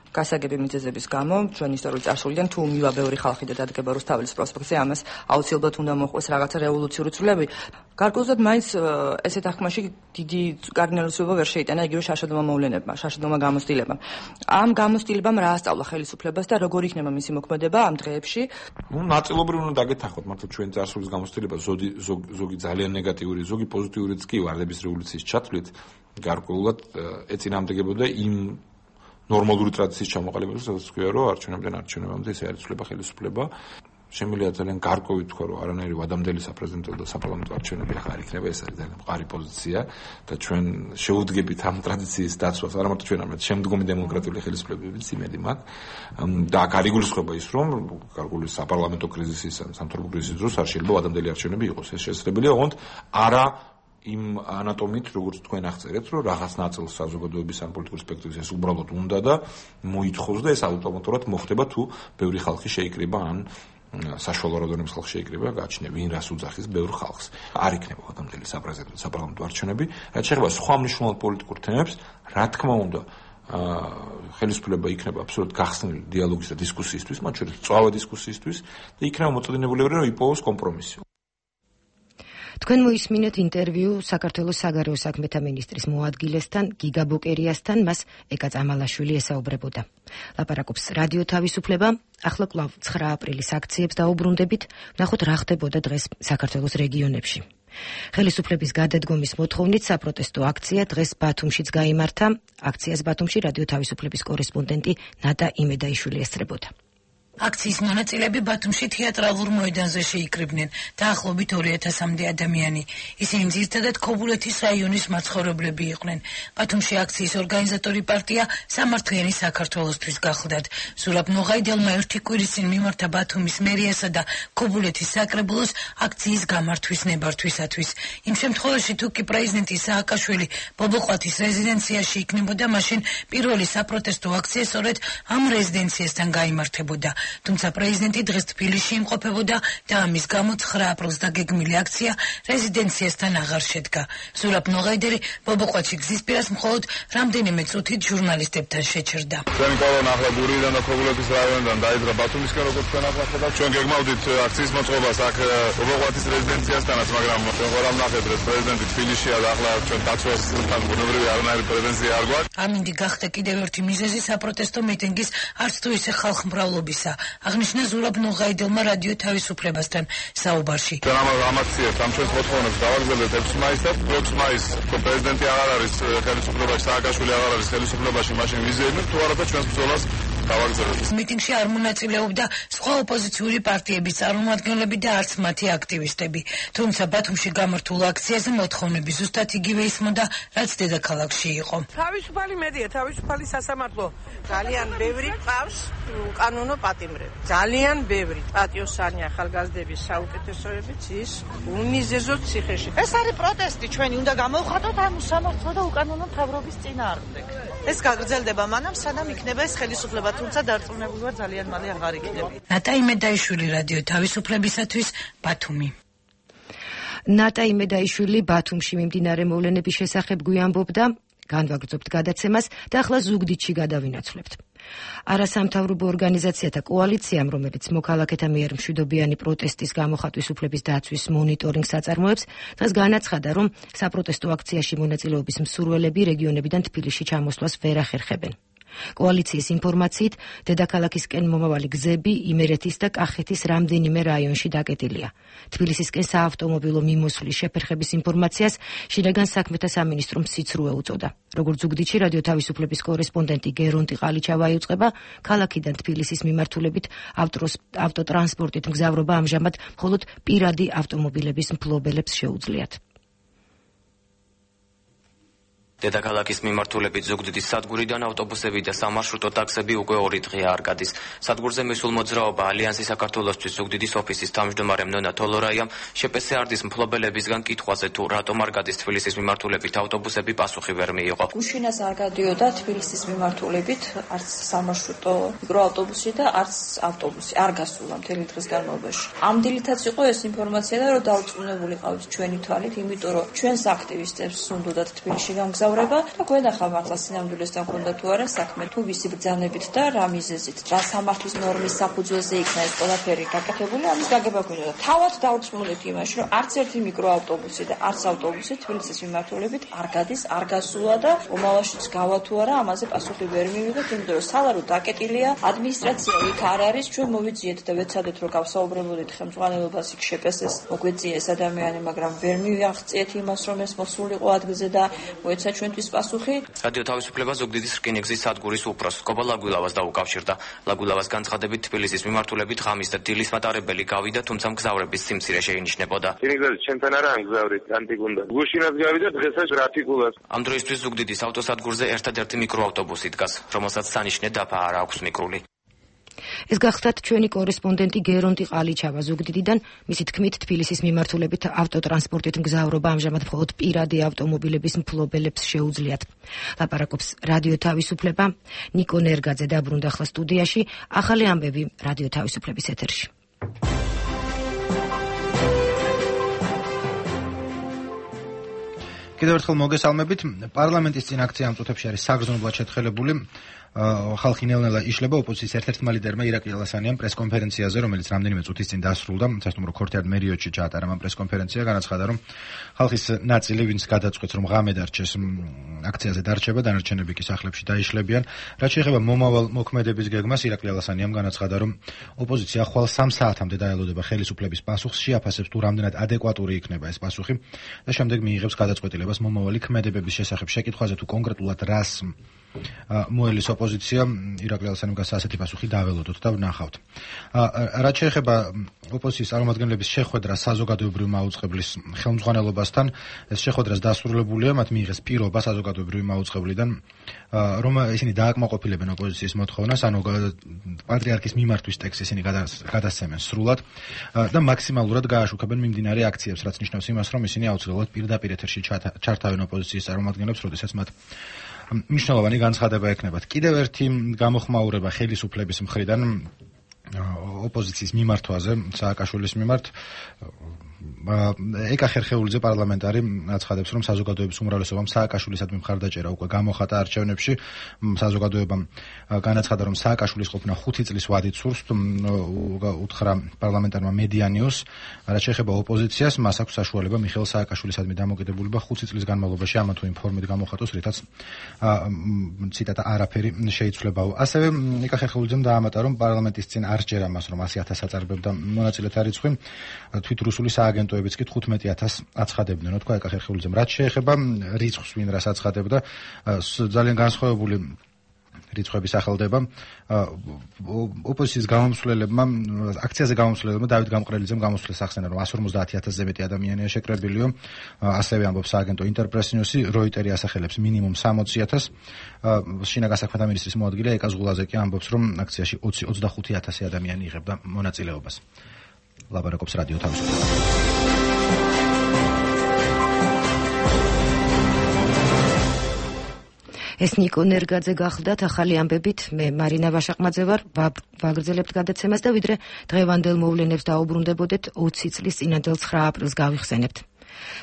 გასაგები მიზეზების გამო ჩვენი ისტორიული წარსულიდან თუ მივა ბევრი ხალხი და დადგება რუსთაველის პროსპექტზე, ამას აუცილებლად უნდა მოხდეს რაღაცა რევოლუციური ცვლილები. გარკვეულწილად მაინც ესეთ აღქმაში დიდი კარდინალიზება ვერ შეიტანა იგივე შაშადომა მოვლენებმა, შაშადომა გამოცდილებამ. ამ გამოცდილებამ რა ასწავლა ხელისუფლებას და როგორ იქნება მისი მოქმედება ამ დღეებში? ნუ ნაწილობრივ უნდა დაგეთახოთ, მართლა ჩვენი წარსულის გამოცდილება ზოგი ძალიან ნეგატიური, ზოგი პოზიტიურიც კი ვარდების რევოლუციის ჩათვლით გარკვეულად ეწინააღმდეგებოდა იმ ნორმალური ტრადიციის ჩამოყალიბებას, სადაც თქვია, რომ არჩევნებიდან არჩევნებამდე ეს არიცვლება ხელისუფლება. შემიძლია ძალიან გარკვევით თქვა, რომ არანაირი ვადამდელი საპრეზიდენტო და საპარლამენტო არჩევნები ახლა არ იქნება, ეს არის ძალიან მყარი პოზიცია და ჩვენ შევუდგებით ამ ტრადიციის დაცვას, არა მარტო ჩვენ, არამედ შემდგომი დემოკრატიული ხელისუფლებებიც იმედი მაქვს. და აქ არ იგულისხმება ის, რომ გარკვეული საპარლამენტო კრიზისის, სამთავრობო კრიზისის დროს არ შეიძლება ვადამდელი არჩევნები იყოს. ეს შესაძლებელია, ოღონდ არა იმ ანატომით, როგორც თქვენ აღწერეთ, რომ რაღაც ნაწილს საზოგადოების ან პოლიტიკური სპექტრის ეს უბრალოდ უნდა და მოითხოვს და ეს ავტომატურად მოხდება თუ ბევრი ხალხი შეიკრიბა ან საშუალო რაოდენობის ხალხი შეიკრიბა, გააჩნია ვინ რას უძახის ბევრ ხალხს. არ იქნება ვადამდელი საპრეზიდენტო საპარლამენტო არჩევნები, რაც შეეხება სხვა მნიშვნელოვან პოლიტიკურ თემებს, რა თქმა უნდა, ხელისუფლება იქნება აბსოლუტურად გახსნილი დიალოგის და დისკუსიისთვის, მათ შორის მწვავე დისკუსიისთვის და იქნება მოწოდინებული, რომ იპოვოს კომპრომისი. თქვენ მოისმინეთ ინტერვიუ საქართველოს საგარეო საქმეთა მინისტრის მოადგილესთან გიგა ბოკერიასთან, მას ეკა წამალაშვილი ესაუბრებოდა. ლაპარაკობს რადიო თავისუფლება. ახლა კვლავ ცხრა აპრილის აქციებს დაუბრუნდებით, ვნახოთ რა ხდებოდა დღეს საქართველოს რეგიონებში. ხელისუფლების გადადგომის მოთხოვნით საპროტესტო აქცია დღეს ბათუმშიც გაიმართა. აქციას ბათუმში რადიო თავისუფლების კორესპონდენტი ნატა იმედაიშვილი ესწრებოდა. აქციის მონაწილეები ბათუმში თეატრალურ მოედანზე შეიკრიბნენ. დაახლოებით ორი ათასამდე ადამიანი. ისინი ძირითადად ქობულეთის რაიონის მაცხოვრებლები იყვნენ. ბათუმში აქციის ორგანიზატორი პარტია სამართლიანი საქართველოსთვის გახლდათ. ზურაბ ნოღაიდელმა ერთი კვირის წინ მიმართა ბათუმის მერიასა და ქობულეთის საკრებულოს აქციის გამართვის ნებართვისათვის. იმ შემთხვევაში თუ კი პრეზიდენტი სააკაშვილი ბობოყვათის რეზიდენციაში იქნებოდა, მაშინ პირველი საპროტესტო აქცია სწორედ ამ რეზიდენციასთან გაიმართებოდა. თუმცა პრეზიდენტი დღეს თბილისში იმყოფებოდა და ამის გამო ცხრა აპრილს დაგეგმილი აქცია რეზიდენციასთან აღარ შედგა. ზურაბ ნოღაიდელი ბობოყვათში გზის პირას მხოლოდ რამდენიმე წუთით ჟურნალისტებთან შეჩერდა. ჩვენი კოლონა ახლა გურიიდან და ქობულეთის რაიონიდან დაიძრა ბათუმისკენ, როგორც თქვენ ახლა ხედავთ. ჩვენ გეგმავდით აქციის მოწყობას აქ ბობოყვათის რეზიდენციასთანაც, მაგრამ ჩვენ ყველა ვნახეთ, რომ პრეზიდენტი თბილისშია და ახლა ჩვენ დაცვასთან ბუნებრივი არანაირი პრეტენზია არ გვაქვს. ამინდი გახდა კიდევ ერთი მიზეზი საპროტესტო მიტინგის არც თუ ისე ხალხმრავლობისა. აღნიშნა ზურაბ ნოღაიდელმა რადიო თავისუფლებასთან საუბარში. ჩვენ ამ აქციებს, ამ ჩვენს მოთხოვნებს გავაგზავნეთ ექვსი მაისს. ექვსი მაისს პრეზიდენტი აღარ არის ხელისუფლებაში, სააკაშვილი აღარ არის ხელისუფლებაში, მაშინ ვიზიებთ თუ არა და ჩვენს ბრძოლას გავაგზავნეთ. მიტინგში არ მონაწილეობდა სხვა ოპოზიციური პარტიების წარმომადგენლები და არც მათი აქტივისტები. თუმცა ბათუმში გამართულ აქციაზე მოთხოვნები ზუსტად იგივე ისმოდა, რაც დედაქალაქში იყო. თავისუფალი მედია, თავისუფალი სასამართლო ძალიან ბევრი ყავს უკანონო პატიმრები. ძალიან ბევრი პატიოსანი ახალგაზრდების საუკეთესოებიც ის უმიზეზოდ ციხეში. ეს არის პროტესტი ჩვენი, უნდა გამოვხატოთ ამ სამართლო და უკანონო მთავრობის წინააღმდეგ. ეს გაგრძელდება მანამ, სანამ იქნება ეს ხელისუფლება, თუმცა დარწმუნებული ვარ ძალიან მალე აღარ იქნება. ნატა იმედაიშვილი რადიო თავისუფლებისათვის ბათუმი. ნატა იმედაიშვილი ბათუმში მიმდინარე მოვლენების შესახებ გვიამბობდა, განვაგრძობთ გადაცემას და ახლა ზუგდიდში გადავინაცვლებთ. არასამთავრობო ორგანიზაციათა კოალიციამ, რომელიც მოქალაქეთა მიერ მშვიდობიანი პროტესტის გამოხატვის უფლების დაცვის მონიტორინგს აწარმოებს, დღეს განაცხადა, რომ საპროტესტო აქციაში მონაწილეობის მსურველები რეგიონებიდან თბილისში ჩამოსვლას ვერ ახერხებენ. კოალიციის ინფორმაციით, დედაქალაქისკენ მომავალი გზები იმერეთის და კახეთის რამდენიმე რაიონში დაკეტილია. თბილისისკენ საავტომობილო მიმოსვლის შეფერხების ინფორმაციას შინაგან საქმეთა სამინისტრომ სიცრუე უწოდა. როგორც ზუგდიდში რადიო თავისუფლების კორესპონდენტი გერონტი ყალიჩავა იუწყება, ქალაქიდან თბილისის მიმართულებით ავტოტრანსპორტით მგზავრობა ამჟამად მხოლოდ პირადი ავტომობილების მფლობელებს შეუძლიათ. დედაქალაქის მიმართულებით ზუგდიდის სადგურიდან ავტობუსები და სამარშრუტო ტაქსები უკვე ორი დღეა არ გადის. სადგურზე მისულ მოძრაობა ალიანსი საქართველოსთვის ზუგდიდის ოფისის თავმჯდომარე ნონა თოლორაიამ შეპესე არდის მფლობელებისგან კითხვაზე თუ რატომ არ გადის თბილისის მიმართულებით ავტობუსები პასუხი ვერ მიიღო. გუშინას არ გადიოდა თბილისის მიმართულებით არც სამარშრუტო მიკროავტობუსი და არც ავტობუსი არ გასულა მთელი დღის განმავლობაში. ამ დილითაც იყო ეს ინფორმაცია და რომ დაუწუნებული ყავით ჩვენი თვალით, იმიტომ რომ ჩვენს აქტივისტებს უნდათ თბილისში გამგზავრება და გვენახავ ახლა სინამდვილესთან ქონდა თუ არა საქმე, თუ ვისი ბრძანებით და რა მიზეზით, რა სამართლის ნორმის საფუძველზე იქნა ეს ყველაფერი გაკეთებული, ამის გაგება გვინდა. თავად დაუწმუნდით იმაში, რომ არც ერთი მიკროავტობუსი და არც ავტობუსი თბილისის მიმართულებით არ გადის, არ გასულა და მომავალშიც გავა თუ არა, ამაზე პასუხი ვერ მივიღეთ, იმიტომ რომ სალარო დაკეტილია, ადმინისტრაცია იქ არ არის, ჩვენ მოვიძიეთ და ვეცადეთ რომ გავსაუბრებოდით ხელმძღვანელობას იქ შეპესეს, მოგვეწია ეს ადამიანი, მაგრამ ვერ მივაღწიეთ იმას, რომ ეს მოსულიყო ადგილზე და მოეცა ჩვენთვის პასუხი. რადიო თავისუფლება ზუგდიდის რკინიგზის სადგურის უფროს კობა ლაგვილავას დაუკავშირდა. ლაგვილავას განცხადებით თბილისის მიმართულებით ღამის და დილის მატარებელი გავიდა, თუმცა მგზავრების სიმცირე შეინიშნებოდა. რკინიგზაზე ჩვენთან არა ამგზავრით, ანტიგუნდა. გუშინაც გავიდა, დღესაც ტრაფიკულად. ამ დროისთვის ზუგდიდის ავტოსადგურზე ერთადერთი მიკროავტობუსი დგას, რომელსაც სანიშნე დაფა არ აქვს მიკრული. ეს გახლდათ ჩვენი კორესპონდენტი გერონტი ყალიჩავა ზუგდიდიდან. მისი თქმით, თბილისის მიმართულებით ავტოტრანსპორტით მგზავრობა ამჟამად მხოლოდ პირადი ავტომობილების მფლობელებს შეუძლიათ. ლაპარაკობს რადიო თავისუფლება. ნიკო ნერგაძე დაბრუნდა ახლა სტუდიაში. ახალი ამბები რადიო თავისუფლების ეთერში. კიდევ ერთხელ მოგესალმებით. პარლამენტის წინ აქცია ამ წუთებში არის საგრძნობლად შეთხელებული. ხალხი ნელ-ნელა იშლება. ოპოზიციის ერთ-ერთმა ლიდერმა ირაკლი ალასანიამ პრესკონფერენციაზე, რომელიც რამდენიმე წუთის წინ დასრულდა, სასტუმრო ქორთიარ მერიოტში ჩაატარა ამ პრესკონფერენცია, განაცხადა, რომ ხალხის ნაწილი, ვინც გადაწყვეტს, რომ ღამე დარჩეს, აქციაზე დარჩება, დანარჩენები კი სახლებში დაიშლებიან. რაც შეეხება მომავალ მოქმედების გეგმას, ირაკლი ალასანიამ განაცხადა, რომ ოპოზიცია ხვალ სამ საათამდე დაელოდება ხელისუფლების პასუხს, შეაფასებს თუ რამდენად ადეკვატური იქნება ეს პასუხი და შემდეგ მიიღებს გადაწყვეტილებას მომავალი ქმედებების შესახებ. შეკითხვაზე თუ კონკრეტულად რას მოელის ოპოზიცია, ირაკლი ალასანიამ გასა ასეთი პასუხი დაველოდოთ და ვნახავთ. რაც შეეხება ოპოზიციის წარმომადგენლების შეხვედრა საზოგადოებრივი მაუწყებლის ხელმძღვანელობასთან, ეს შეხვედრას დასრულებულია, მათ მიიღეს პირობა საზოგადოებრივი მაუწყებლიდან, რომ ისინი დააკმაყოფილებენ ოპოზიციის მოთხოვნას, ანუ პატრიარქის მიმართვის ტექსტს ისინი გადასცემენ სრულად და მაქსიმალურად გააშუქებენ მიმდინარე აქციებს, რაც ნიშნავს იმას, რომ ისინი აუცილებლად პირდაპირ ეთერში ჩართავენ ოპოზიციის წარმომადგენლებს, როდესაც მათ მნიშვნელოვანი განცხადება ექნებათ. კიდევ ერთი გამოხმაურება ხელისუფლების მხრიდან ოპოზიციის მიმართვაზე, სააკაშვილის მიმართ. ეკა ხერხეულიძე პარლამენტარი აცხადებს, რომ საზოგადოების უმრავლესობამ სააკაშვილისადმი მხარდაჭერა უკვე გამოხატა არჩევნებში. საზოგადოებამ განაცხადა, რომ სააკაშვილის ყოფნა ხუთი წლის ვადით სურს, უთხრა პარლამენტარმა მედიანიუს. რაც შეეხება ოპოზიციას, მას აქვს საშუალება მიხეილ სააკაშვილისადმი დამოკიდებულება ხუთი წლის განმავლობაში ამა თუ იმ ფორმით გამოხატოს, რითაც ციტატა არაფერი შეიცვლებაო. ასევე ეკა ხერხეულიძემ დაამატა, რომ პარლამენტის წინ არ სჯერა მას, რომ ასი ათასს აწარებდა მონაწილეთა რიცხვი, თვით რუსული სააგენტოებიც კი თხუთმეტი ათასს აცხადებდნენ, თქვა ეკა ხერხეულიძემ. რაც შეეხება რიცხვს, ვინ რას აცხადებდა, ძალიან განსხვავებული რიცხვების ახალდება. ოპოზიციის გამომსვლელებმა, აქციაზე გამომსვლელებმა დავით გამყრელიძემ გამოსვლას ახსენა, რომ εκατს ორმოცდაათი ათასზე მეტი ადამიანია შეკრებილიო. ასევე ამბობს სააგენტო ინტერპრესნიუსი, როიტერი ასახელებს მინიმუმ სამოცი ათასს. შინაგან საქმეთა მინისტრის მოადგილე ეკა ზღულაძე კი ამბობს, რომ აქციაში ოცი ოცდახუთი ათასი ადამიანი იღებდა მონაწილეობას. ლაბარაკობს რადიო თავისუფლება. ეს ნიკო ნერგაძე გახლდათ ახალი ამბებით, მე მარინა ვაშაყმაძე ვარ, ვაგრძელებთ გადაცემას და ვიდრე დღევანდელ მოვლენებს დაუბრუნდებოდეთ, ოცი წლის წინანდელ ცხრა აპრილს გავიხსენებთ.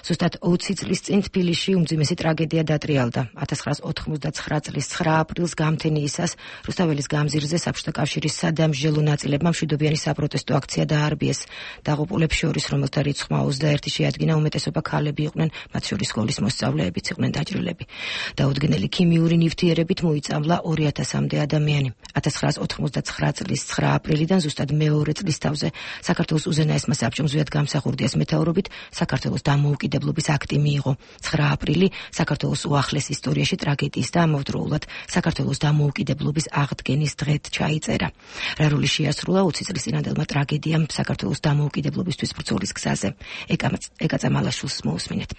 ზუსტად ოცი წლის წინ თბილისში უმძიმესი ტრაგედია დატრიალდა. ათას ცხრაას ოთხმოცდაცხრა წლის ცხრა აპრილს გამთენიისას რუსთაველის გამზირზე საბჭოთა კავშირის სადამსჯელო ნაწილებმა მშვიდობიანი საპროტესტო აქცია დაარბიეს. დაღუპულებს შორის, რომელთა რიცხვმა ოცდაერთი შეადგინა, უმეტესობა ქალები იყვნენ, მათ შორის სკოლის მოსწავლეებიც იყვნენ დაჭრილები. დაუდგენელი ქიმიური ნივთიერებით მოიწამლა ორი ათასამდე ადამიანი. ათას ცხრაას ოთხმოცდაცხრა წლის ცხრა აპრილიდან ზუსტად მეორე წლის თავზე საქართველოს უზენაესმა საბჭომ ზვიად გამსახურდიას მეთაურობით საქართველოს დამოუკიდებლობის აქტი მიიღო. ცხრა აპრილი საქართველოს უახლეს ისტორიაში ტრაგედიის და ამავდროულად საქართველოს დამოუკიდებლობის აღდგენის დღედ ჩაიწერა. რა როლი შეასრულა ოცი წლის წინანდელმა ტრაგედიამ საქართველოს დამოუკიდებლობისთვის ბრძოლის გზაზე. ეკა წამალაშვილს მოусმინეთ.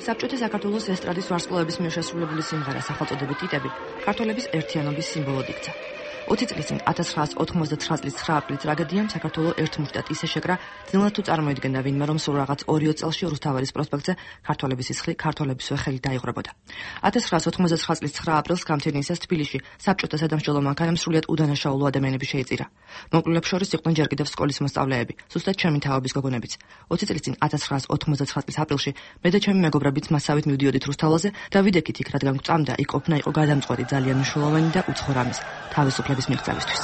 საბჭოთა საქართველოს ესტრადის ვარსკვლავების მიერ შესრულებული სიმღერა სახელწოდებით „იტები“ ქართველების ერთიანობის სიმბოლოდ იქცა. ოცი წლის წინ ათას ცხრაას ოთხმოცდაცხრა წლის ცხრა აპრილის ტრაგედიამ საქართველოს ერთმუშტად ისე შეკრა, ძნელად თუ წარმოიდგენდა ვინმე, რომ სულ რაღაც ორიო წელში რუსთაველის პროსპექტზე ქართველების სისხლი, ქართველებისვე ხელი დაიღრებოდა. ათას ცხრაას ოთხმოცდაცხრა წლის ცხრა აპრილს გამთენიისას თბილისში საბჭოთა სადამსჯელო მანქანამ სრულიად უდანაშაულო ადამიანები შეიწირა. მოკლულებს შორის იყვნენ ჯერ კიდევ სკოლის მოსწავლეები, ზუსტად ჩემი თავების გოგონებიც. ოცი წლის წინ ათას ცხრაას ოთხმოცდაცხრა წლის აპრილში მე და ჩემი მეგობრებიც მასავით მივდიოდით რუსთაველზე და ვიდექით იქ, რადგან გვწამდა, იქ ყოფნა იყო გადამწყვეტი, ძალიან მნიშვნელოვანი და უცხო რამის, თავისუფლების მიღწევისთვის.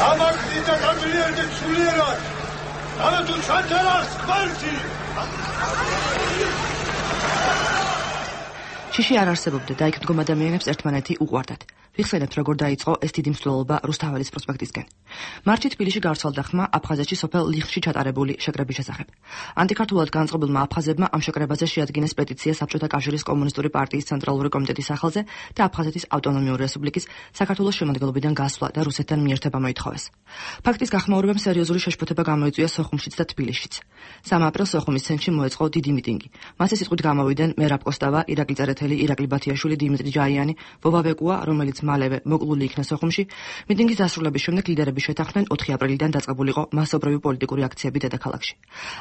ამას დიდა გამძლიერდეთ სულიერად. ამა თუ ჩანთარას კვართი. შიში არ არსებობდა და იქ მდგომ ადამიანებს ერთმანეთი უყვარდათ. ვიხსენებთ, როგორ დაიწყო ეს დიდი მსვლელობა რუსთაველის პროსპექტისკენ. მარტში თბილისში გავრცელდა ხმა აფხაზეთში სოფელ ლიხში ჩატარებული შეკრების შესახებ. ანტიქართულად განწყობილმა აფხაზებმა ამ შეკრებაზე შეადგინეს პეტიცია საბჭოთა კავშირის კომუნისტური პარტიის ცენტრალური კომიტეტის სახელზე და აფხაზეთის ავტონომიური რესპუბლიკის საქართველოს შემადგენლობიდან გასვლა და რუსეთთან მიერთება მოითხოვეს. ფაქტის გახმაურებამ სერიოზული შეშფოთება გამოიწვია სოხუმშიც და თბილისშიც. სამი აპრილს სოხუმის ცენტრში მოეწყო დიდი მიტინგი. მასზე სიტყვით გამოვიდნენ მერაბ კოსტავა, ირაკლი წერეთელი, ირაკლი ბათიაშვილი, დიმიტრი ჯაიანი, ვობა ბეკუა, რომელიც მალევე მოკლული იქნა სოხუმში, მიტინგის დასრულების შემდეგ ლიდერები შეთანხმდნენ ოთხი აპრილიდან დაწყებულიყო მასობრივი პოლიტიკური აქციები დედაქალაქში.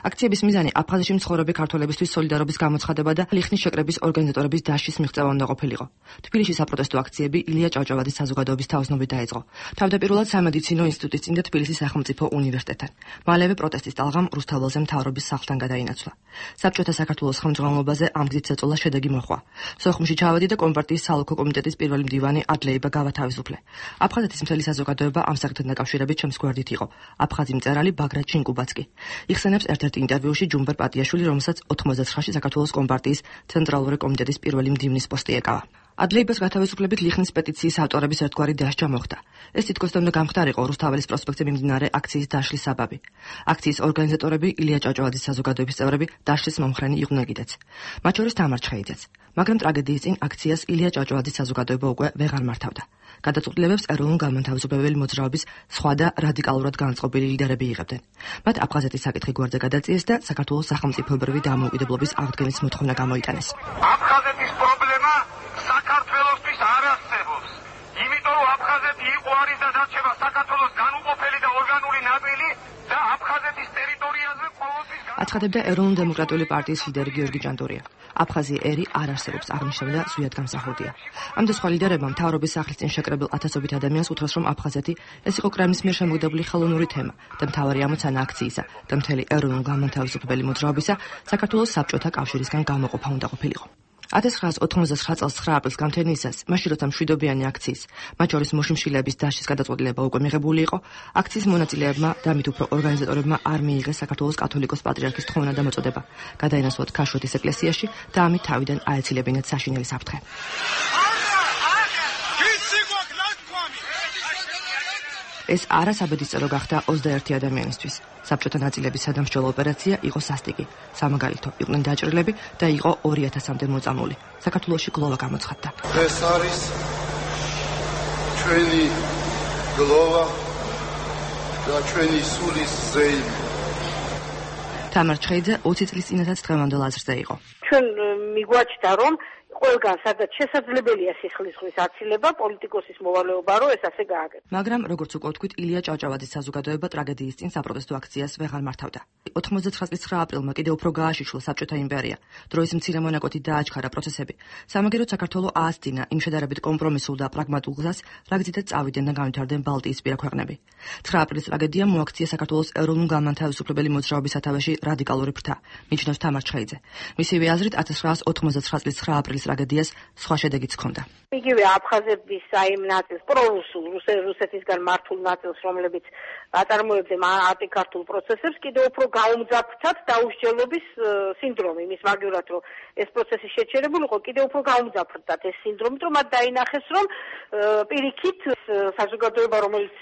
აქციების მიზანი აფხაზეთში მცხოვრები ქართველებისთვის სოლიდარობის გამოცხადება და ლიხნის შეკრების ორგანიზატორების დაშლის მიღწევა უნდა ყოფილიყო. თბილისში საპროტესტო აქციები ილია ჭავჭავაძის საზოგადოების თაოსნობით დაიწყო. თავდაპირველად სამედიცინო ინსტიტუტის წინ და თბილისის სახელმწიფო უნივერსიტეტთან. მალევე პროტესტის ტალღამ რუსთაველზე მთავრობის სახლთან გადაინაცვლა. საბჭოთა საქართველოს ხელმძღვანელობაზე ამ გზით წეწოლა შედეგი მოჰყვა. სოხუმში ჩავედი და კომპარტიის სალოქო კომიტეტის პირველი მდივანი ადლეიბა გავათავისუფლე. აფხაზეთის მთელი საზოგადოება ამ საკითხთან დაკავშირებით ჩემს გვერდით იყო. აფხაზი მწერალი ბაგრატ ჩინკუბაც კი. იხსენებს ერთ-ერთ ინტერვიუში ჯუმბერ პატიაშვილი, რომელსაც ოთხმოცდაცხრაში საქართველოს კომპარტიის ცენტრალური კომიტეტის პირველი მდივნის პოსტი ეკავა. ადლეიბას გათავისუფლებით ლიხნის პეტიციის ავტორების ერთგვარი დასჯა მოხდა. ეს თითქოს უნდა გამხდარიყო რუსთაველის პროსპექტზე მიმდინარე აქციის დაშლის საბაბი. აქციის ორგანიზატორები ილია ჭავჭავაძის საზოგადოების წევრები დაშლის მომხრენი იყვნენ კიდეც. მათ შორის თამარ ჩხეიძეც. მაგრამ ტრაგედიის წინ აქციას ილია ჭავჭავაძის საზოგადოება უკვე ვეღარ მართავდა. გადაწყვეტილებებს ეროვნულ-განმათავისუფლებელი მოძრაობის სხვა და რადიკალურად განწყობილი ლიდერები იღებდნენ. მათ აფხაზეთის საკითხი გვერდზე გადაწიეს და საქართველოს სახელმწიფოებრივი დამოუკიდებლობის აღდგენის მოთხოვნა გამოიტანეს. აფხაზეთის პრობლემა საქართველოსთვის არ არსებობს. იმიტომ რომ აფხაზეთი იყო არის და დარჩება საქართველოს განუყოფელი და ორგანული ნაწილი და აფხაზეთის ტერიტორიაზე ყოველთვის აცხადებდა ეროვნულ-დემოკრატიული პარტიის ლიდერი გიორგი ჭანტურია. აფხაზი ერი არ არსებობს აღნიშნავდა ზვიად გამსახურდია. ამ და სხვა ლიდერებმა მთავრობის სახლის წინ შეკრებილ ათასობით ადამიანს უთხრეს, რომ აფხაზეთი ეს იყო კრემლის მიერ შემოგდებული ხელოვნური თემა და მთავარი ამოცანა აქციისა და მთელი ეროვნულ-განმათავისუფლებელი მოძრაობისა საქართველოს საბჭოთა კავშირისგან გამოყოფა უნდა ყოფილიყო. ათას ცხრაას ოთხმოცდაცხრა წელს ცხრა აპრილს გამთენიისას, მაშინ როცა მშვიდობიანი აქციის, მათ შორის მოშიმშილეების დაშლის გადაწყვეტილება უკვე მიღებული იყო, აქციის მონაწილეებმა და მით უფრო ორგანიზატორებმა არ მიიღეს საქართველოს კათოლიკოს პატრიარქის თხოვნა და მოწოდება, გადაინაცვლათ ქაშვეთის ეკლესიაში და ამით თავიდან აეცილებინათ საშინელი საფრთხე. ეს არასაბედისწერო გახდა ოცდაერთი ადამიანისთვის. საბჭოთა ნაწილების სადამსჯელო ოპერაცია იყო სასტიკი. სამაგალითო იყვნენ დაჭრილები და იყო ორი ათასამდე მოწამული. საქართველოში გლოვა გამოცხადდა. ეს არის ჩვენი გლოვა და ჩვენი სულის ზეიმი. თამარ ჩხეიძე ოცი წლის წინათაც დღევანდელ აზრზე იყო. ჩვენ მიგვაჩნდა რომ ყველგან სადაც შესაძლებელია სისხლისღვრის აცილება, პოლიტიკოსის მოვალეობა რო ეს ასე გააკეთოს. მაგრამ როგორც უკვე ვთქვით, ილია ჭავჭავაძის საზოგადოება ტრაგედიის წინ საპროტესტო აქციას ვეღარ მართავდა. ოთხმოცდაცხრა წლის ცხრა აპრილმა კიდევ უფრო გააშიშლა საბჭოთა იმპერია. დროის მცირე მონაკვეთით დააჩქარა პროცესები. სამაგერო საქართველო აასძინა იმ შედარებით კომპრომისულ და პრაგმატულ გზას, რაგზითაც წავიდნენ და განვითარდნენ ბალტიისპირა ქვეყნები. ცხრა აპრილის ტრაგედიამ მოაქცია საქართველოს ეროვნულ-განმათავისუფლებელი მოძრაობის სათავეში რადიკალური ფრთა, მიჩნევს თამარ ჩხეიძე. მისივე აზრით ათას ცხრაას ოთხმოცდაცხრა წლის ცხრა აპრილის ტრაგედიას სხვა შედეგიც ჰქონდა. იგივე აფხაზების აი ნაწილს, პრორუსულ, რუსეთისგან მართულ ნაწილს, რომლებიც აწარმოებდნენ ანტიქართულ პროცესებს, კიდევ უფრო გაუმძაფრდათ დაუსჯელობის სინდრომი, მის მაგივრად რომ ეს პროცესი შეჩერებული იყო, კიდევ უფრო გაუმძაფრდათ ეს სინდრომი, რომ მათ დაინახეს, რომ პირიქით საზოგადოება, რომელიც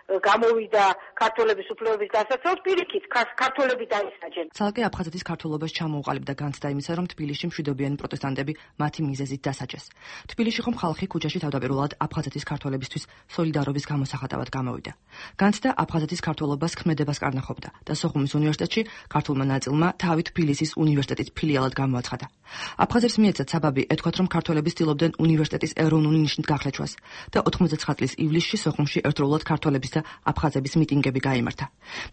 გამოვიდა ქართველების უფლებების დასაცავად, პირიქით ქართველები დაისაჯენ. ცალკე აფხაზეთის ქართველობას ჩამოუყალიბდა განცდა იმისა, რომ თბილისში მშვიდობიანი პროტესტანტები მათი მიზეზით დასაჯეს. თბილისში ხომ ხალხი ქუჩაში თავდაპირველად აფხაზეთის ქართველებისთვის სოლიდარობის გამოსახატავად გამოვიდა. განცდა აფხაზეთის ქართველობას ქმედებას კარნახობდა და სოხუმის უნივერსიტეტში ქართულმა ნაწილმა თავი თბილისის უნივერსიტეტის ფილიალად გამოაცხადა. აფხაზებს მიეცათ საბაბი ეთქვათ, რომ ქართველები ცდილობდნენ უნივერსიტეტის ეროვნული ნიშნით გახლეჩვას და ოთხმოცდაცხრა წლის ივლისში სოხუმში ერთდროულად ქართველების აფხაზების მიტინგები გაიმართა.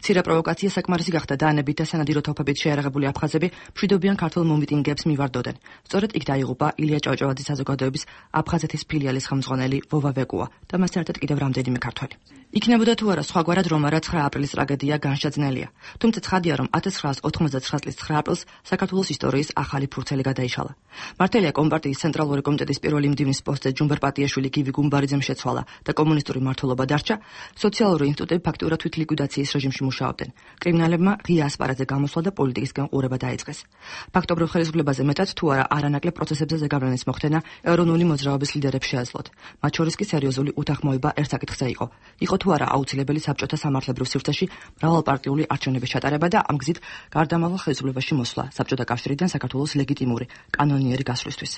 მცირე პროვოკაცია საკმარისი გახდა დაანებით და სანადირო თოფებით შეარაღებული აფხაზები მშვიდობიან ქართულ მომიტინგეებს მივარდოდნენ. სწორედ იქ დაიღუპა ილია ჭავჭავაძის საზოგადოების აფხაზეთის ფილიალის ხელმძღვანელი ვოვა ვეკუა და მასთან ერთად კიდევ რამდენიმე ქართველი. იქნებოდა თუ არა სხვაგვარად რომ არა ცხრა აპრილის ტრაგედია განსაძნელია. თუმცა ცხადია რომ ათას ცხრაას ოთხმოცდაცხრა წლის ცხრა აპრილს საქართველოს ისტორიის ახალი ფურცელი გადაიშალა. მართალია კომპარტიის ცენტრალური კომიტეტის პირველი მდივნის პოსტზე ჯუმბერ პატიაშვილი გივი გუმბარიძემ შეცვალა და კომუნისტური მმართველობა დარჩა. სოციალური ინსტიტუტები ფაქტურად თვითლიკვიდაციის რეჟიმში მუშაობდნენ. კრიმინალებმა ღია ასპარეზზე გამოსვლა და პოლიტიკისგან ყურება დაიწყეს. ფაქტობრივ ხელისუფლებაზე მეტად თუ არა არანაკლებ პროცესებზე ზეგავლენის მოხდენა ეროვნული მოძრაობის ლიდერებს შეეძლოთ. მათ შორის კი სერიოზული უთანხმოება ერთ საკითხზე იყო. იყო თუ არა აუცილებელი საბჭოთა სამართლებრივ სივრცეში მრავალპარტიული არჩევნების ჩატარება და ამ გზით გარდამავალ ხელისუფლებაში მოსვლა საბჭოთა კავშირიდან საქართველოს ლეგიტიმური კანონიერი გასვლისთვის.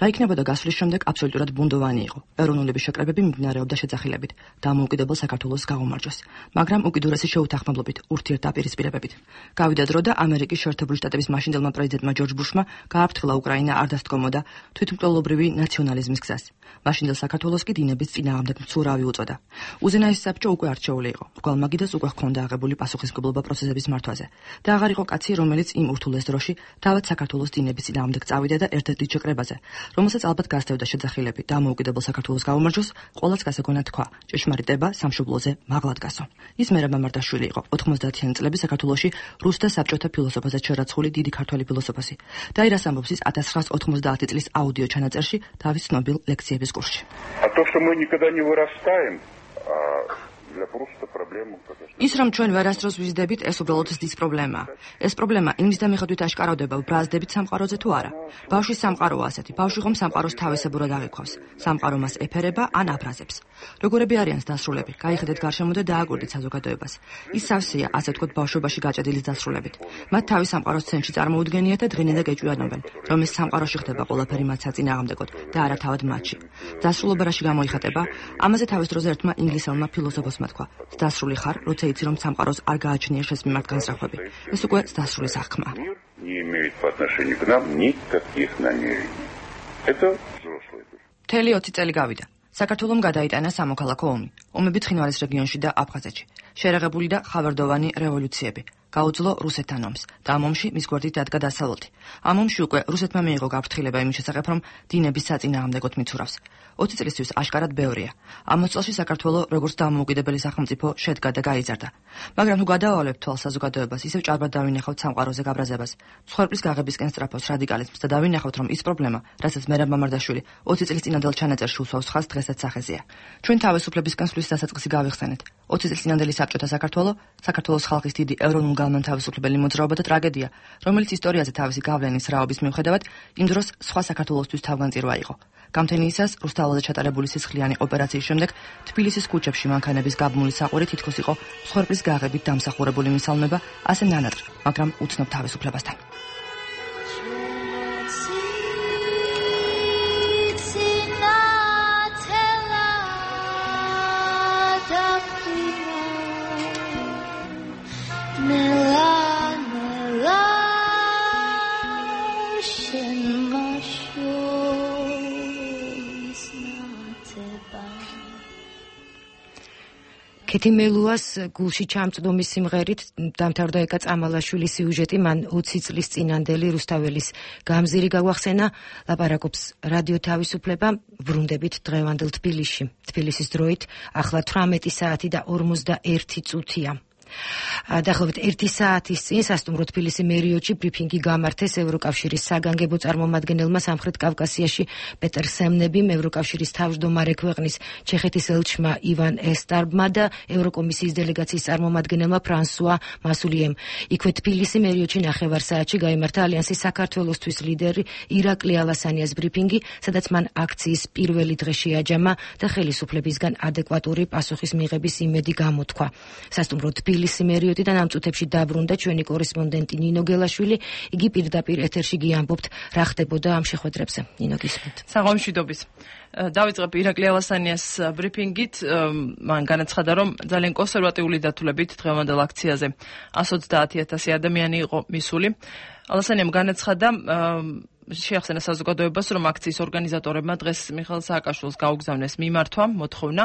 რა იქნებოდა გასვლის შემდეგ აბსოლუტურად ბუნდოვანი იყო. ეროვნულების შეკრებები მიმდინარეობდა შეძახილებით. დამოუკიდებელ საქართველოს საქართველოს გაუმარჯოს, მაგრამ უკიდურესი შეუთანხმებლობით, ურთიერთდაპირისპირებებით. გავიდა დრო და ამერიკის შეერთებული შტატების მაშინდელმა პრეზიდენტმა ჯორჯ ბუშმა გააფრთხილა უკრაინა არ დასდგომოდა თვითმკვლელობრივი ნაციონალიზმის გზას. მაშინდელ საქართველოს კი დინების წინააღმდეგ მცურავი უწოდა. უზენაესი საბჭო უკვე არჩეული იყო. მრგვალ მაგიდას უკვე ჰქონდა აღებული პასუხისმგებლობა პროცესების მართვაზე და აღარ იყო კაცი, რომელიც იმ ურთულეს დროში თავად საქართველოს დინების წინააღმდეგ წავიდა და ერთ-ერთ ჩეკრებაზე, რომელსაც ალბათ გასდევდა შეძახილები დამოუკიდებელ საქართველოს გაუმარჯოს, ყოველს გასაგონად თქვა: ჭეშმარიტება სამშობლოზე მაღლად გასო. ის მერაბ მამარდაშვილი იყო, ოთხმოცდაათიანი წლების საქართველოში რუს და საბჭოთა ფილოსოფაზე შერაცხული დიდი ქართველი ფილოსოფოსი. და ის ამბობს ის ათას ცხრაასი ოთხმოცდაათი წლის აუდიო ჩანაწერში თავის ცნობილ ლექციების კურსში. ის რომ ჩვენ ვერასდროს ვიზრდებით, ეს უბრალოდ ზრდის პრობლემაა. ეს პრობლემა იმის დამეხადვით აშკაროვდება, ვბრაზდებით სამყაროზე თუ არა. ბავშვის სამყაროა ასეთი. ბავშვი ხომ სამყაროს თავისებურად აღიქვავს. სამყარო მას ეფერება ან აბრაზებს. როგორები არიან დასრულები? გაიხედეთ გარშემო და დააკვირდით საზოგადოებას. ის სავსეა, ასე ვთქვათ, ბავშვობაში გაჭედილი დასრულებით. მათ თავის სამყაროს ცენტრში წარმოუდგენიათ და დღენენ და გეჭვიანობენ, რომ ეს სამყაროში ხდება ყველაფერი მათ საწინააღმდეგოდ და არა თავად მათში. დასრულობა რაში გამოიხატება? ამაზე თავის დროზე ერთმა ინგლისელმა ფილოსოფოსმა თქვა: დასრული ხარ, როცა იცი, რომ სამყაროს არ გააჩნია შენს მიმართ განსწრაფვები. ეს უკვე დასრული სახქმაა. მთელი ოცი წელი გავიდა. საქართველომ გადაიტანა სამოქალაქო ომი. ომები ცხინვალის რეგიონში და აფხაზეთში. შერეღებული და ხავერდოვანი რევოლუციები. გაუძლო რუსეთთან ომს და ამ ომში მის გვერდით დადგა დასავლეთი. ამ ომში უკვე რუსეთმა მიიღო გაფრთხილება იმის შესახებ, რომ დინების საწინააღმდეგოდ მიცურავს. ოცი წლისთვის აშკარად ბევრია. ამ წელში საქართველო როგორც დამოუკიდებელი სახელმწიფო შედგა და გაიზარდა. მაგრამ თუ გადავავალებთ თვალს საზოგადოებას, ისევ ჭარბად დავინახავთ სამყაროზე გაბრაზებას, მსხვერპლის გაღების კენსტრაფოს რადიკალიზმს და დავინახავთ, რომ ის პრობლემა, რასაც მერაბ მამარდაშვილი ოცი წლის წინანდელ ჩანაწერში უსვავს ხაზს, დღესაც სახეზეა. ჩვენ თავისუფლებისკენ სვლის დასაწყისი გავიხსენეთ. ოცი წლის წინანდელი საბჭოთა საქართველო, საქართველოს ხალხის დიდი ეროვნულ განმანთავისუფლებელი მოძრაობა და ტრაგედია, რომელიც ისტორიაზე თავისი გავლენის რაობის მიუხედავად, იმ დროს სხვა საქართველოსთვის თავგანწირვა იყო. გამთენიისას რუსთაველზე ჩატარებული სისხლიანი ოპერაციის შემდეგ თბილისის ქუჩებში მანქანების გაბმული საყვირი თითქოს იყო მსხვერპლის გაღებით დამსახურებული მისალმება, ასე ნანატრ, მაგრამ უცნობ თავისუფლებასთან. ქეთი მელუას გულში ჩამწდომის სიმღერით დამთავრდა ეკა წამალაშვილის სიუჟეტი, მან ოცი წლის წინანდელი რუსთაველის გამზირი გაგვახსენა. ლაპარაკობს რადიო თავისუფლება, ვრუნდებით დღევანდელ თბილისში. თბილისის დროით ახლა თვრამეტი საათი და ორმოცდაერთი წუთია. დაახლოებით ერთი საათის წინ სასტუმრო თბილისი მერიოტში ბრიფინგი გამართეს ევროკავშირის საგანგებო წარმომადგენელმა სამხრეთ კავკასიაში პეტერ სემნებიმ, ევროკავშირის თავმჯდომარე ქვეყნის ჩეხეთის ელჩმა ივან ესტარბმა და ევროკომისიის დელეგაციის წარმომადგენელმა ფრანსუა მასულიემ. იქვე თბილისი მერიოტში ნახევარ საათში გაიმართა ალიანსის საქართველოსთვის ლიდერი ირაკლი ალასანიას ბრიფინგი, სადაც მან აქციის პირველი დღე შეაჯამა და ხელისუფლებისგან ადეკვატური პასუხის მიღების იმედი გამოთქვა. სასტუმრო თბილისი მერიოტიდან ამ წუთებში დაბრუნდა ჩვენი კორესპონდენტი ნინო გელაშვილი. იგი პირდაპირ ეთერში გიამბობთ რა ხდებოდა ამ შეხვედრებზე. ნინო, გისმენთ. საღამოშიდობის. დავიწყებ ირაკლი ალასანიას ბრიფინგით. მან განაცხადა, რომ ძალიან კონსერვატიული დათვლებით დღევანდელ აქციაზე εκατს ოცდაათი ათასი ადამიანი იყო მისული. ალასანიამ განაცხადა, შეახსენა საზოგადოებას, რომ აქციის ორგანიზატორებმა დღეს მიხეილ სააკაშვილს გაუგზავნეს მიმართვა, მოთხოვნა,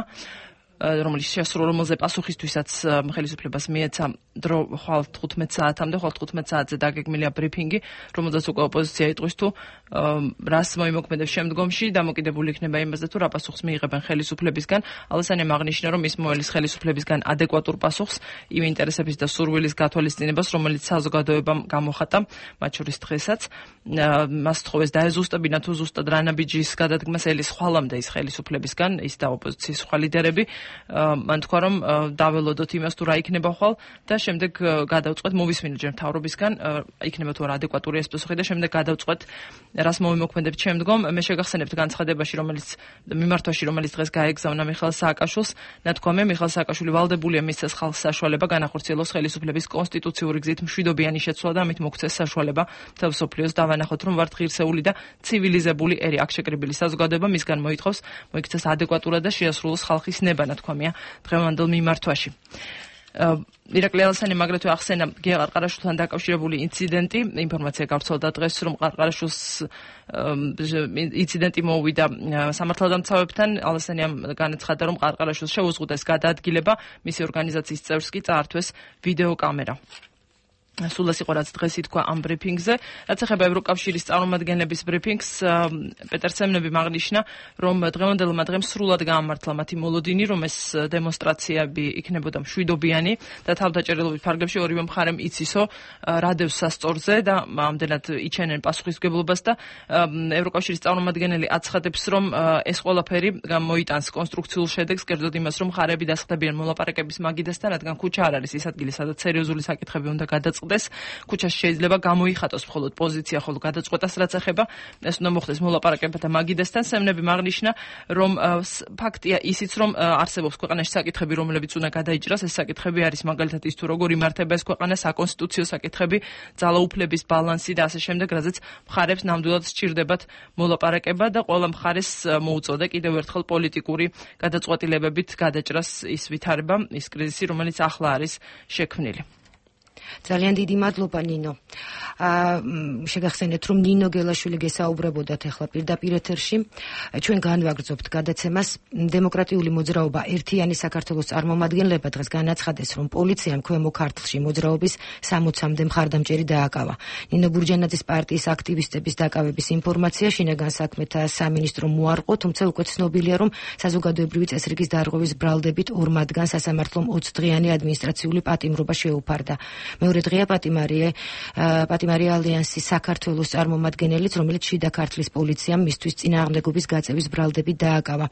რომელიც შეასრულა, რომელზე პასუხისთვისაც ხელისუფლებას მიეცა დრო ხვალ თხუთმეტ საათამდე, ხვალ თხუთმეტ საათზე დაგეგმილია ბრიფინგი, რომელზეც უკვე ოპოზიცია იტყვის თუ რას მოიმოქმედებს შემდგომში, დამოკიდებული იქნება იმაზე თუ რა პასუხს მიიღებენ ხელისუფლებისგან. ალასანიამ აღნიშნა, რომ ის მოელის ხელისუფლებისგან ადეკვატურ პასუხს იმ ინტერესების და სურვილის გათვალისწინებას, რომელიც საზოგადოებამ გამოხატა, მათ შორის დღესაც. მას თხოვეს დაეზუსტებინა თუ ზუსტად რა ნაბიჯის გადადგმას ელის ხვალამდე ის ხელისუფლებისგან, ის და ოპოზიციის სხვა ლიდერები. მან თქვა, რომ დაველოდოთ იმას თუ რა იქნება ხვალ და შემდეგ გადავწყვეტ, მოვისმინოთ ჯერ მთავრობისგან, იქნება თუ არა ადეკვატური ეს პასუხი და შემდეგ გადავწყვეტ რას მოვიმოქმედებთ შემდგომ. მე შეგახსენებთ განცხადებაში, რომელიც მიმართვაში, რომელიც დღეს გაეგზავნა მიხეილ სააკაშვილს, ნათქვამია, მიხეილ სააკაშვილი ვალდებულია მისცეს ხალხს საშუალება განახორციელოს ხელისუფლების კონსტიტუციური გზით მშვიდობიანი შეცვლა და ამით მოგცეს საშუალება მთელ მსოფლიოს დავანახოთ, რომ ვართ ღირსეული და ცივილიზებული ერი. აქ შეკრებილი საზოგადოება მისგან მოითხოვს მოიქცეს ადეკვატურად და შეასრულოს ხალხის ნება. განათქვამია დღევანდელ მიმართვაში. ირაკლი ალასანიამ აგრეთვე ახსენა გია ყარყარაშვილთან დაკავშირებული ინციდენტი. ინფორმაცია გავრცელდა დღეს, რომ ყარყარაშვილს ინციდენტი მოუვიდა სამართალდამცავებთან. ალასანიამ განაცხადა, რომ ყარყარაშვილს შეუზღუდეს გადაადგილება, მისი ორგანიზაციის წევრს კი წაართვეს ვიდეოკამერა. სულ ეს იყო რაც დღეს ითქვა ამ ბრიფინგზე. რაც ეხება ევროკავშირის წარმომადგენლების ბრიფინგს, პეტერ სემნებიმ აღნიშნა, რომ დღევანდელმა დღემ სრულად გაამართლა მათი მოლოდინი, რომ ეს დემონსტრაციები იქნებოდა მშვიდობიანი და თავდაჭერილობის ფარგლებში ორივე მხარემ იცისო რა დევს სასწორზე და ამდენად იჩენენ პასუხისმგებლობას და ევროკავშირის წარმომადგენელი აცხადებს, რომ ეს ყველაფერი მოიტანს კონსტრუქციულ შედეგს, კერძოდ იმას, რომ მხარეები დასხდებიან მოლაპარაკების მაგიდასთან, რადგან ქუჩა არ არის ის ადგილი, სადაც სერიოზული საკითხები უნდა გადაწყდეს. ქუჩაში შეიძლება გამოიხატოს მხოლოდ პოზიცია, ხოლო გადაწყვეტას რაც ეხება ეს უნდა მოხდეს მოლაპარაკებათა მაგიდასთან. სემნებიმ აღნიშნა, რომ ფაქტია ისიც, რომ არსებობს ქვეყანაში საკითხები, რომლებიც უნდა გადაიჭრას. ეს საკითხები არის მაგალითად ის, თუ როგორ იმართება ეს ქვეყანა, საკონსტიტუციო საკითხები, ძალაუფლების ბალანსი და ასე შემდეგ, რაზეც მხარებს ნამდვილად სჭირდებათ მოლაპარაკება და ყველა მხარეს მოუწოდა კიდევ ერთხელ პოლიტიკური გადაწყვეტილებებით გადაჭრას ის ვითარება, ის კრიზისი, რომელიც ახლა არის შექმნილი. ძალიან დიდი მადლობა ნინო. აა შეგახსენეთ, რომ ნინო გელაშვილი გესაუბრებოდათ ახლა პირდაპირ ეთერში. ჩვენ განვაგრძობთ გადაცემას. დემოკრატიული მოძრაობა ერთიანი საქართველოს წარმომადგენლება დღეს განაცხადეს, რომ პოლიციამ ქვემო ქართლში მოძრაობის სამოცამდე მხარდამჭერი დააკავა. ნინო ბურჯანაძის პარტიის აქტივისტების დაკავების ინფორმაცია შინაგან საქმეთა სამინისტრომ მოარყო, თუმცა უკვე ცნობილია, რომ საზოგადოებრივი წესრიგის დარღვევის ბრალდებით ორ მათგანს სასამართლომ ოცი დღიანი ადმინისტრაციული პატიმრობა შეუფარდა. მეორე დღეა პატიმარია პატიმარია ალიანსის საქართველოს წარმომადგენელიც, რომელიც შიდა ქართლის პოლიციამ მისთვის წინააღმდეგობის გაწევის ბრალდებით დააკავა.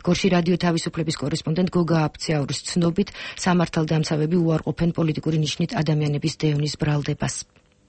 გორში რადიო თავისუფლების კორესპონდენტ გოგა აფციაურის ცნობით, სამართალდამცავები უარყოფენ პოლიტიკური ნიშნით ადამიანების დევნის ბრალდებას.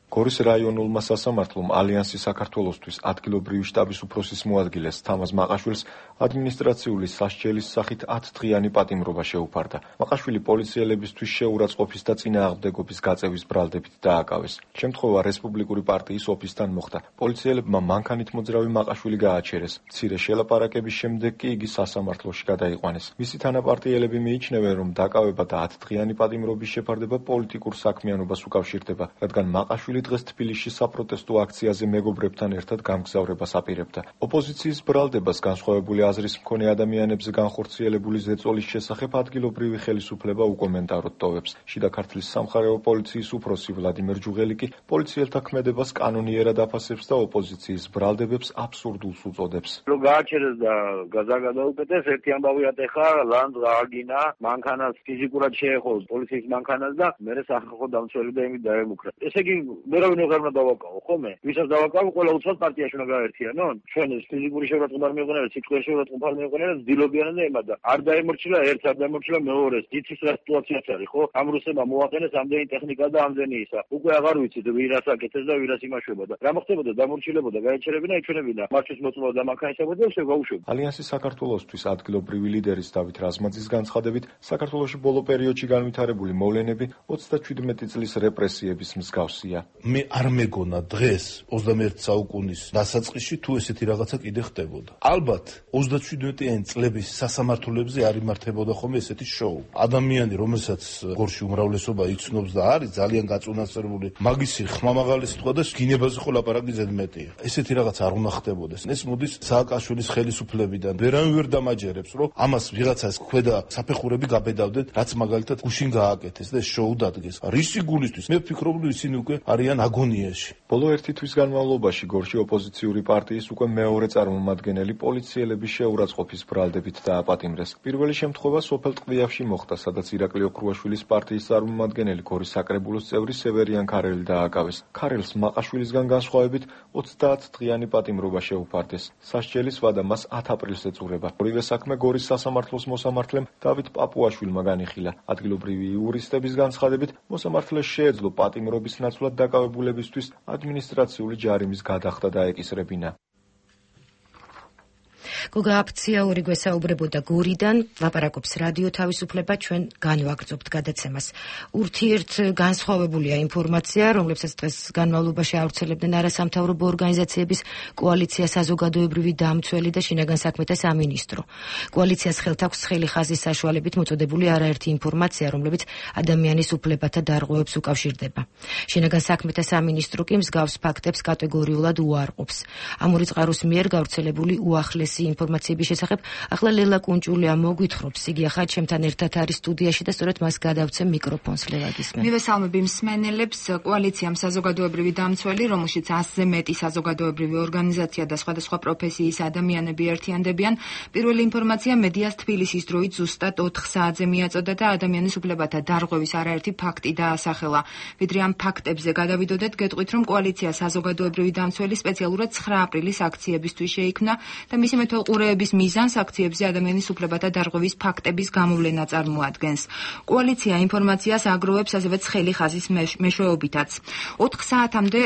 გორის რაიონულმა სასამართლომ ალიანსის საქართველოსთვის ადგილობრივი შტაბის უფროსის მოადგილეს თამაზ მაყაშვილს ადმინისტრაციული სასჯელის სახით ათი დღიანი პატიმრობა შეუფარდა. მაყაშვილი პოლიციელებისთვის შეურაცხყოფის და წინააღმდეგობის გაწევის ბრალდებით დააკავეს. შემთხვევა რესპუბლიკური პარტიის ოფისთან მოხდა. პოლიციელებმა მანქანით მოძრავი მაყაშვილი გააჩერეს. მცირე შელაპარაკების შემდეგ კი იგი სასამართლოში გადაიყვანეს. მისი თანაპარტიელები მიიჩნევენ, რომ დაკავება და ათი დღიანი პატიმრობის შეფარდება პოლიტიკურ საქმიანობას უკავშირდება, რადგან მაყაშვილი დღეს თბილისში საპროტესტო აქციაზე მეგობრებთან ერთად გამგზავრებას აპირებდა. ოპოზიციის ბრალდებას განსხვავებული აზრის მქონე ადამიანებზე განხორციელებული ზეწოლის შესახებ ადგილობრივი ხელისუფლება უკომენტაროდ ტოვებს. შიდა ქართლის სამხარეო პოლიციის უფროსი ვლადიმერ ჯუღელი კი პოლიციელთა ქმედებას კანონიერად აფასებს და ოპოზიციის ბრალდებებს აბსურდულს უწოდებს. რომ გააჩერეს და გადაუკეთეს, ერთი ამბავი ატეხა, ლანდ გააგინა, მანქანას ფიზიკურად შეეხო პოლიციის მანქანას და მერე სახალხო დამცველი და იმით დაემუქრა. ესე იგი მერავინ ვეღარმა დავაკავო, ხომე? ვისაც დავაკავო, ყველა უცხოს პარტიაში უნდა გაერთიანონ. ჩვენ ეს ფიზიკური შეურაცხყოფა არ მიიღონებთ, სიტყვის შეურაცხყოფა არ მიიღონებთ, ძილობიანად და ემად და არ დაემორჩილა ერთ, არ დაემორჩილა მეორეს. იცის რა სიტუაციაც არის, ხო? ამ რუსებმა მოაყენეს ამდენი ტექნიკა და ამდენი ისა. უკვე აღარ ვიცით ვირას აკეთეს და ვირას იმაშვება და რა მოხდებოდა, დამორჩილებოდა, გაეჩერებინა, ეჩვენებინა. მართვის მოწმობა და მანქანისებოდა და შეგაუშვება. ალიანსის საქართველოსთვის ადგილობრივი ლიდერის დავით რაზმაძის განცხადებით, საქართველოში ბოლო პერიოდში განვითარებული მოვლენები ოცდაჩვიდმეტი წლის რეპრესიების მსგავსია. მე არ მეგონა დღეს ოცდამეერთე საუკუნის დასაწყისში თუ ესეთი რაღაცა კიდე ხდებოდა. ალბათ ოცდაჩვიდმეტიანი წლების სასამართლოებზე არ იმართებოდა ხოლმე ესეთი შოუ. ადამიანი, რომელსაც გორში უმრავლესობა იცნობს და არის ძალიან გაწუნასწორებული, მაგისი ხმამაღალი სიტყვა და გინებაზე ხო ლაპარაკი ზედმეტია. ესეთი რაღაც არ უნდა ხდებოდეს. ეს მოდის სააკაშვილის ხელისუფლებიდან. ვერავინ ვერ დამაჯერებს, რომ ამას ვიღაცას ქვედა საფეხურები გაბედავდნენ, რაც მაგალითად გუშინ გააკეთეს და ეს შოუ დადგეს. რისი გულისთვის? მე ვფიქრობ, რომ ისინი უკვე არიან აგონიაში. ბოლო ერთი თვის განმავლობაში გორში ოპოზიციური პარტიის უკვე მეორე წარმომადგენელი პოლიციელების შეურაცხყოფის ბრალდებით დააპატიმრეს. პირველი შემთხვევა სოფელ ტყდიავში მოხდა, სადაც ირაკლი ოქრუაშვილის პარტიის წარმომადგენელი გორის საკრებულოს წევრი სევერიან ქარელი დააკავეს. ქარელს მაყაშვილისგან განსხვავებით ოცდაათი დღიანი პატიმრობა შეუფარდეს. სასჯელის ვადა მას ათი აპრილს ეწურება. ორივე საქმე გორის სასამართლოს მოსამართლემ დავით პაპუაშვილმა განიხილა. ადგილობრივი იურისტების განცხადებით, მოსამართლეს შეეძლო პატიმრობის ნაცვლად დაკავებულებისთვის ადმინისტრაციული ჯარიმის გადახდა და ეკისრებინა. გოგა აფციაური გვესაუბრებოდა გურიდან, ლაპარაკობს რადიო თავისუფლება, ჩვენ განვაგრძობთ გადაცემას. ურთიერთ განსხვავებულია ინფორმაცია, რომლებსაც დღეს განმავლობაში ავრცელებდნენ არასამთავრობო ორგანიზაციების კოალიცია საზოგადოებრივი დამცველი და შინაგან საქმეთა სამინისტრო. კოალიციას ხელთ აქვს ცხელი ხაზის საშუალებით მოწოდებული არაერთი ინფორმაცია, რომლებიც ადამიანის უფლებათა დარღვევებს უკავშირდება. შინაგან საქმეთა სამინისტრო კი მსგავს ფაქტებს კატეგორიულად უარყოფს. ამური წყაროს მიერ გავრცელებული უახლესი ინფორმაციების შესახებ ახლა ლელა კუნჭულია მოგვითხრობს. იგი ახლა ჩემთან ერთად არის სტუდიაში და სწორედ მას გადავცემ მიკროფონს. ლელა გისმენ. მივესალმები მსმენელებს. კოალიციამ საზოგადოებრივი დამცველი, რომელშიც ასზე მეტი საზოგადოებრივი ორგანიზაცია და სხვადასხვა პროფესიის ადამიანები ერთიანდებიან, პირველი ინფორმაცია მედიას თბილისის დროით ზუსტად ოთხ საათზე მიაწოდა და ადამიანის უფლებათა დარღვევის არაერთი ფაქტი დაასახელა. ვიდრე ამ ფაქტებზე გადავიდოდეთ, გეტყვით, რომ კოალიცია საზოგადოებრივი დამცველი სპეციალურად ცხრა აპრილის აქციებისთვის შეიქმნა და მისი მეთვალყურეების მიზანს აქციებზე ადამიანის უფლებათა დარღვევის ფაქტების გამოვლენა წარმოადგენს. კოალიცია ინფორმაციას აგროვებს ასევე ცხელი ხაზის მეშვეობითაც. ოთხ საათამდე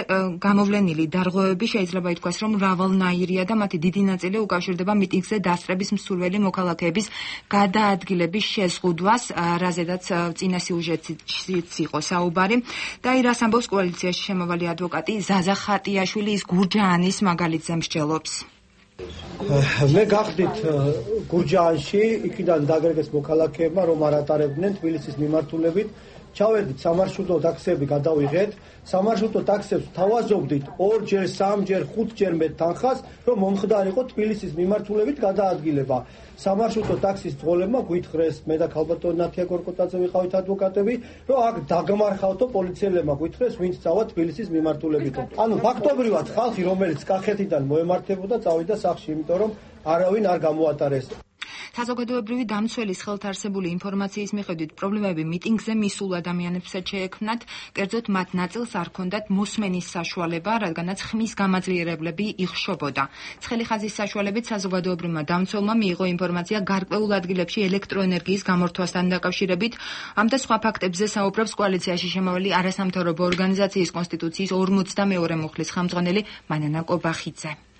გამოვლენილი დარღვევები შეიძლება ითქვას, რომ მრავალნაირია და მათი დიდი ნაწილი უკავშირდება მიტინგზე დასწრების მსურველი მოქალაქეების გადაადგილების შეზღუდვას, რაზედაც წინა სიუჟეტიც იყო საუბარი. და ირას ამბობს კოალიციაში შემავალი ადვოკატი ზაზა ხატიაშვილი, ის გურჯაანის მაგალითზე მსჯელობს. მე გახდით გურჯაანში, იქიდან დაგერგეს მოქალაქეებმა, რომ არ ატარებდნენ თბილისის მიმართულებით. ჩავედით სამარშრუტო ტაქსები გადავიღეთ. სამარშრუტო ტაქსებს თავაზობდით ორჯერ, სამჯერ, ხუთჯერ მეტ თანხას, რომ მომხდარიყო თბილისის მიმართულებით გადაადგილება. სამარშრუტო ტაქსის ძღოლებმა გვითხრეს, მე და ქალბატონი ნათია გორკოტაძე ვიყავით ადვოკატები, რომ აქ დაგმარხავთო პოლიციელებმა გვითხრეს, ვინც წავა თბილისის მიმართულებით. ანუ ფაქტობრივად ხალხი, რომელიც კახეთიდან მოემართებოდა, წავიდა სახლში, იმიტომ რომ არავინ არ გამოატარეს. საზოგადოებრივი დამცველის ხელთ არსებული ინფორმაციის მიხედვით პრობლემები მიტინგზე მისულ ადამიანებსაც შეექმნათ, კერძოდ მათ ნაწილს არ ჰქონდათ მოსმენის საშუალება, რადგანაც ხმის გამაძლიერებლები იხშობოდა. ცხელი ხაზის საშუალებით საზოგადოებრივმა დამცველმა მიიღო ინფორმაცია გარკვეულ ადგილებში ელექტროენერგიის გამორთვასთან დაკავშირებით. ამ და სხვა ფაქტებზე საუბრობს კოალიციაში შემავალი არასამთავრობო ორგანიზაციის კონსტიტუციის ორმოცდამეორე მუხლის ხელმძღვანელი მანანა კობახიძე.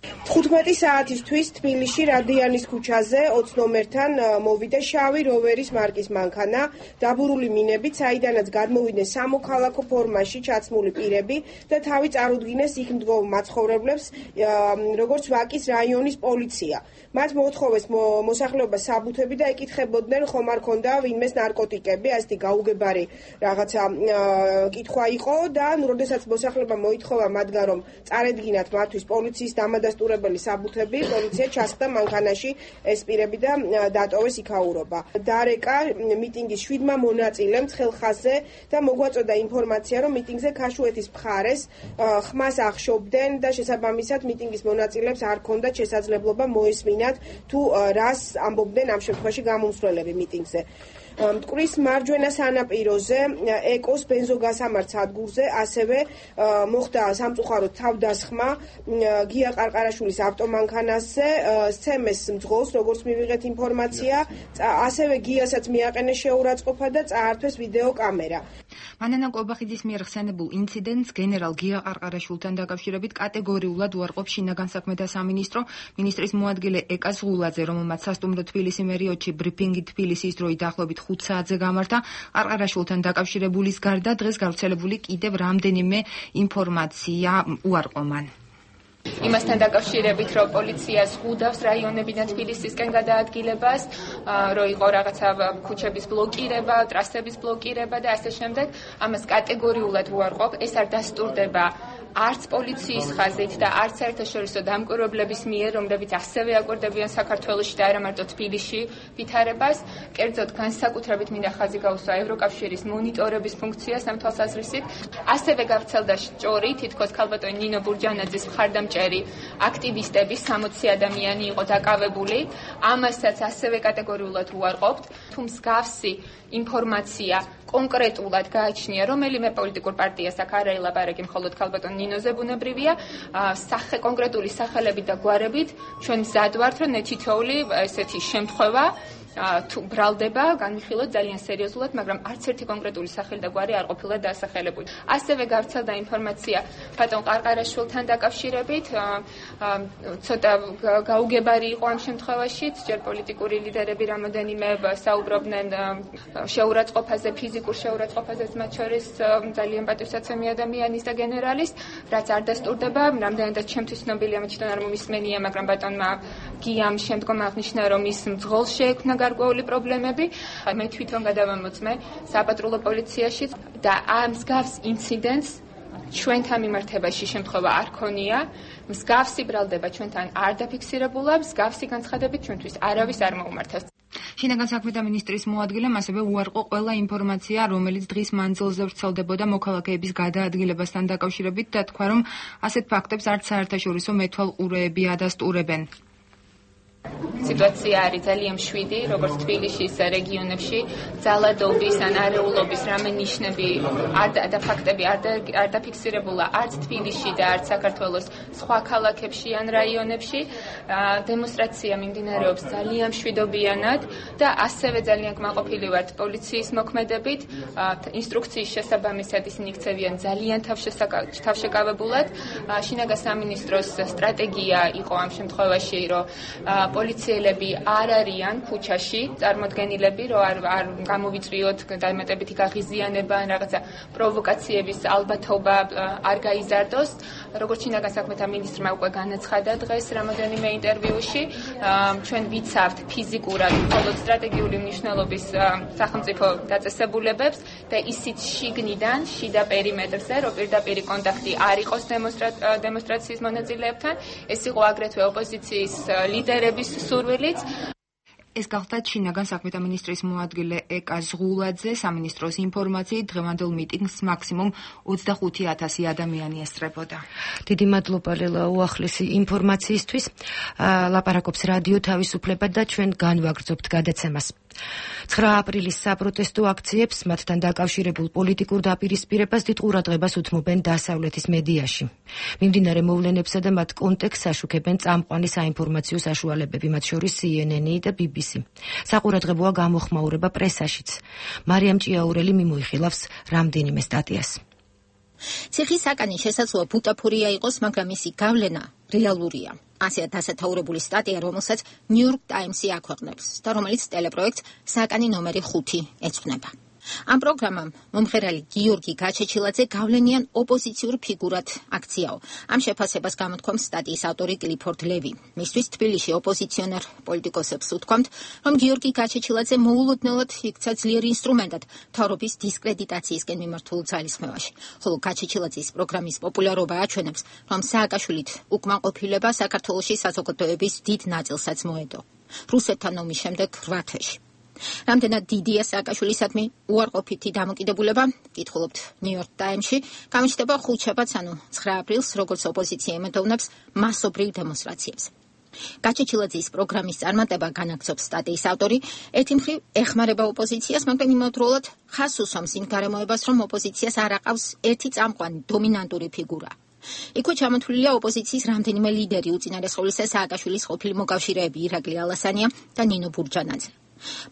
თხუთმეტი საათისთვის თბილისში რადიანის ქუჩაზე ოცი ნომერთან მოვიდა შავი როვერის მარკის მანქანა, დაბურული მინებით, საიდანაც გადმოვიდნენ სამოქალაქო ფორმაში ჩაცმული პირები და თავი წარუდგინეს იქ მდგომ მაცხოვრებლებს, როგორც ვაკის რაიონის პოლიცია. მათ მოთხოვეს მოსახლეობას საბუთები და ეკითხებოდნენ, ხომ არ ქონდა ვინმეს ნარკოტიკები, ასეთი გაუგებარი რაღაცა კითხვა იყო და როდესაც მოსახლეობა მოითხოვა მათგან, რომ წარედგინათ მათთვის პოლიციის დამადასტურებელი საბუთები, პოლიცია ჩასხდა მანქანაში ეს პირები და დატოვეს იქაურობა. დარეკა მიტინგის შვიდმა მონაწილემ ცხელხაზზე და მოგვაწოდა ინფორმაცია, რომ მიტინგზე ქაშუეთის მხარეს ხმას ახშობდნენ და შესაბამისად მიტინგის მონაწილეებს არ ჰქონდათ შესაძლებლობა მოესმინათ თუ რას ამბობდნენ ამ შემთხვევაში გამომსვლელები მიტინგზე. მტკვრის მარჯვენა სანაპიროზე ეკოს ბენზოგასამართ სადგურზე ასევე მოხდა სამწუხაროდ თავდასხმა გია ყარყარაშვილის ავტომანქანაზე, სცემეს მძღოლს, როგორც მივიღეთ ინფორმაცია, ასევე გიასაც მიაყენეს შეურაცხყოფა და წაართვეს ვიდეო კამერა. მანანა კობახიძის მიერ ხსენებულ ინციდენტს გენერალ გია ყარყარაშვილთან დაკავშირებით კატეგორიულად უარყოფს შინაგან საქმეთა სამინისტრო. მინისტრის მოადგილე ეკა ზღულაძე, რომელმაც სასტუმრო თბილისი მერიოდში ბრიფინგი თბილისის დროით დაახლოებით ხუთ საათზე გამართა, ყარყარაშვილთან დაკავშირებულის გარდა დღეს გავრცელებული კიდევ რამდენიმე ინფორმაცია უარყო მან. იმასთან დაკავშირებით, რომ პოლიცია ზღუდავს რაიონებიდან თბილისისკენ გადაადგილებას, რომ იყო რაღაცა ქუჩების ბლოკირება, ტრასების ბლოკირება და ასე შემდეგ, ამას კატეგორიულად უარყოფ, ეს არ დასტურდება არც პოლიციის ხაზით და არც საერთაშორისო დამკვირვებლების მიერ, რომლებიც ასევე აკვირდებიან საქართველოში და არა მარტო თბილისში ვითარებას, კერძოდ განსაკუთრებით მინდა ხაზი გაუსვა ევროკავშირის მონიტორების ფუნქციას ამ თვალსაზრისით. ასევე გავრცელდა სჭორი, თითქოს ქალბატონი ნინო ბურჯანაძის მხარდამჭერი აქტივისტების სამოცი ადამიანი იყო დაკავებული. ამასაც ასევე კატეგორიულად უარყოფთ, თუ მსგავსი ინფორმაცია კონკრეტულად გააჩნია რომელიმე პოლიტიკურ პარტიას, აქ არ აილაპარაკი მხოლოდ ქალბატონ ნინოზე ბუნებრივია, სახე კონკრეტული სახელებით და გვარებით ჩვენ მზად ვართ, რომ ნეთითოული ესეთი შემთხვევა თუ ბრალდება, განვიხილოთ ძალიან სერიოზულად, მაგრამ არც ერთი კონკრეტული სახელი და გვარი არ ყოფილა დასახელებული. ასევე გავრცელდა ინფორმაცია ბატონ ყარყარაშვილთან დაკავშირებით, ცოტა გაუგებარი იყო ამ შემთხვევაში, ჯერ პოლიტიკური ლიდერები რამოდენიმე საუბრობდნენ შეურაცხყოფაზე, ფიზიკურ შეურაცხყოფაზე, მათ შორის ძალიან პატივსაცემი ადამიანის და გენერალის, რაც არ დასტურდება, რამდენადაც ჩემთვის ცნობილია, მე თვითონ არ მომისმენია, მაგრამ ბატონმა გიამ შემდგომ აღნიშნა, რომ ის მძღოლ შეექმნა გარკვეული პრობლემები. მე თვითონ გადავამოწმე საპატრულო პოლიციაში და ამ მსგავს ინციდენტს ჩვენთან მიმართებაში შემთხვევა არ ქონია, მსგავსი ბრალდება ჩვენთან არ დაფიქსირებულა, მსგავსი განცხადებით ჩვენთვის არავის არ მოუმართავს. შინაგან საქმეთა მინისტრის მოადგილემ ასევე უარყო ყველა ინფორმაცია, რომელიც დღის მანძილზე ვრცელდებოდა მოქალაქეების გადაადგილებასთან დაკავშირებით და თქვა, რომ ასეთ ფაქტებს არც საერთაშორისო მეთვალყურეები ადასტურებენ. სიტუაცია არის ძალიან მშვიდი, როგორც თბილისში, ისე რეგიონებში, ძალადობის ან არეულობის რამე ნიშნები არ და ფაქტები არ არ დაფიქსირებულა არც თბილისში და არც საქართველოს სხვა ქალაქებში ან რაიონებში. დემონსტრაცია მიმდინარეობს ძალიან მშვიდობიანად და ასევე ძალიან კმაყოფილი ვართ პოლიციის მოქმედებით. ინსტრუქციის შესაბამისად ისინი იქცევიან ძალიან თავშეკავებულად. შინაგან სამინისტროს სტრატეგია იყო ამ შემთხვევაში, რომ პოლიციელები არ არიან ქუჩაში, წარმოდგენილები, რომ არ არ გამოვიწვიოთ დამატებითი გაღიზიანება ან რაღაცა პროვოკაციების ალბათობა არ გაიზარდოს. როგორც შინაგან საქმეთა მინისტრმა უკვე განაცხადა დღეს რამოდენიმე ინტერვიუში, ჩვენ ვიცავთ ფიზიკურად მხოლოდ სტრატეგიული მნიშვნელობის სახელმწიფო დაწესებულებებს და ისიც შიგნიდან, შიდა პერიმეტრზე, რომ პირდაპირ კონტაქტი არ იყოს დემონსტრაციის მონაწილეებთან, ეს იყო აგრეთვე ოპოზიციის ლიდერების სურვილიც. ეს გახდა შინაგან საქმეთა მინისტრის მოადგილე ეკა ზღულაძე. სამინისტროს ინფორმაციით დღევანდელ მიტინგს მაქსიმუმ ოცდახუთი ათასი ადამიანი ესწრებოდა. დიდი მადლობა ლელა უახლესი ინფორმაციისთვის. ლაპარაკობს რადიო თავისუფლება და ჩვენ განვაგრძობთ გადაცემას. ცხრა აპრილის საპროტესტო აქციებს მათთან დაკავშირებულ პოლიტიკურ დაპირისპირებას დიდ ყურადღებას უთმობენ დასავლეთის მედიაში. მიმდინარე მოვლენებსა და მათ კონტექსტს აშუქებენ წამყვანი საინფორმაციო საშუალებები, მათ შორის C N N და B B C. საყურადღებოა გამოხმაურება პრესაშიც. მარიამ ჭიაურელი მიმოიხილავს რამდენიმე სტატიას. ციხის საკანი შესაძლოა ბუტაფორია იყოს, მაგრამ მისი გავლენა რეალურია. ასეა დასათაურებული სტატია, რომელსაც New York Times-ი აქვეყნებს და რომელიც ტელეპროექტს საკანი ნომერი ხუთი ეძღვნება. ამ პროგრამამ მომღერალი გიორგი გაჩეჩილაძე გავლენიან ოპოზიციურ ფიგურად აქციაო. ამ შეფასებას გამოთქვამს სტატიის ავტორი კლიფორდ ლევი. მისთვის თბილისში ოპოზიციონერ პოლიტიკოსებს უთქვამთ, რომ გიორგი გაჩეჩილაძე მოულოდნელად იქცა ძლიერ ინსტრუმენტად მთავრობის დისკრედიტაციისკენ მიმართულ ძალისხმევაში. ხოლო გაჩეჩილაძის პროგრამის პოპულარობა აჩვენებს, რომ სააკაშვილით უკმაყოფილება საქართველოში საზოგადოების დიდ ნაწილსაც მოედო. რუსეთთან ომის შემდეგ რვა თვეში. რამდენად დიდია სააკაშვილისადმი უარყოფითი დამოკიდებულება, კითხულობთ New York Times-ში, გამოჩნდება ხუთშაბათს, ანუ ცხრა აპრილს, როგორც ოპოზიცია ემედოვნებს მასობრივ დემონსტრაციებს. გაჩეჩილაძის პროგრამის წარმატება, განაგრძობს სტატიის ავტორი, ერთი მხრივ ეხმარება ოპოზიციას, მაგრამ იმავდროულად ხაზს უსვამს იმ გარემოებას, რომ ოპოზიციას არ აყავს ერთი წამყვანი დომინანტური ფიგურა. იქვე ჩამოთვლილია ოპოზიციის რამდენიმე ლიდერი, უწინარესყოლისა სააკაშვილის ყოფილი მოკავშირეები ირაკლი ალასანია და ნინო ბურჯანაძე.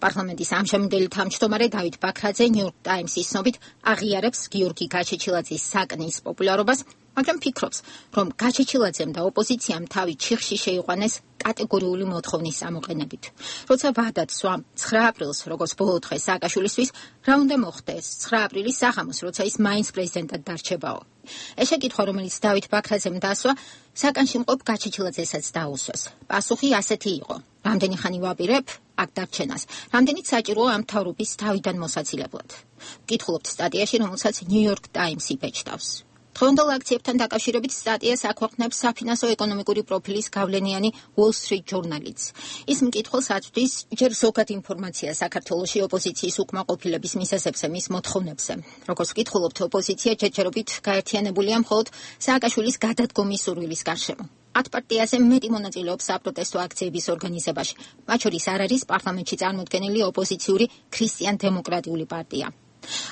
პარლამენტის ამჟამინდელი თავმჯდომარე დავით ბაქრაძე New York Times-ის ცნობით აღიარებს გიორგი გაჩეჩილაძის საკნის პოპულარობას, მაგრამ ფიქრობს, რომ გაჩეჩილაძემ და ოპოზიციამ თავი ჩიხში შეიყვანეს კატეგორიული მოთხოვნის ამოყენებით. როცა ვადად სვამ ცხრა აპრილს, როგორც ბოლო დღე სააკაშვილისთვის, რა უნდა მოხდეს ცხრა აპრილის საღამოს, როცა ის მაინც პრეზიდენტად დარჩებაო. ეს შეკითხვა, რომელიც დავით ბაქრაძემ დასვა, საკანში მყოფ გაჩეჩილაძესაც დაუსვეს. პასუხი ასეთი იყო: რამდენი ხანი ვაპირებ აქ დარჩენას, რამდენიც საჭიროა ამ მთავრობის თავიდან მოსაცილებლად. ვკითხულობთ სტატიაში, რომელსაც New York Times-ი ბეჭდავს. დღევანდელ აქციებთან დაკავშირებით სტატიას აქვეყნებს საფინანსო-ეკონომიკური პროფილის გავლენიანი Wall Street Journal-იც. ის მკითხველს აწვდის ჯერ ზოგად ინფორმაცია საქართველოში ოპოზიციის უკმაყოფილების მიზეზებზე, მის მოთხოვნებზე. როგორც ვკითხულობთ, ოპოზიცია ჯერჯერობით გაერთიანებულია მხოლოდ სააკაშვილის გადადგომის სურვილის გარშემო. ათ პარტიაზე მეტი მონაწილეობს საპროტესტო აქციების ორგანიზებაში. მათ შორის არ არის პარლამენტში წარმოდგენილი ოპოზიციური ქრისტიან-დემოკრატიული პარტია.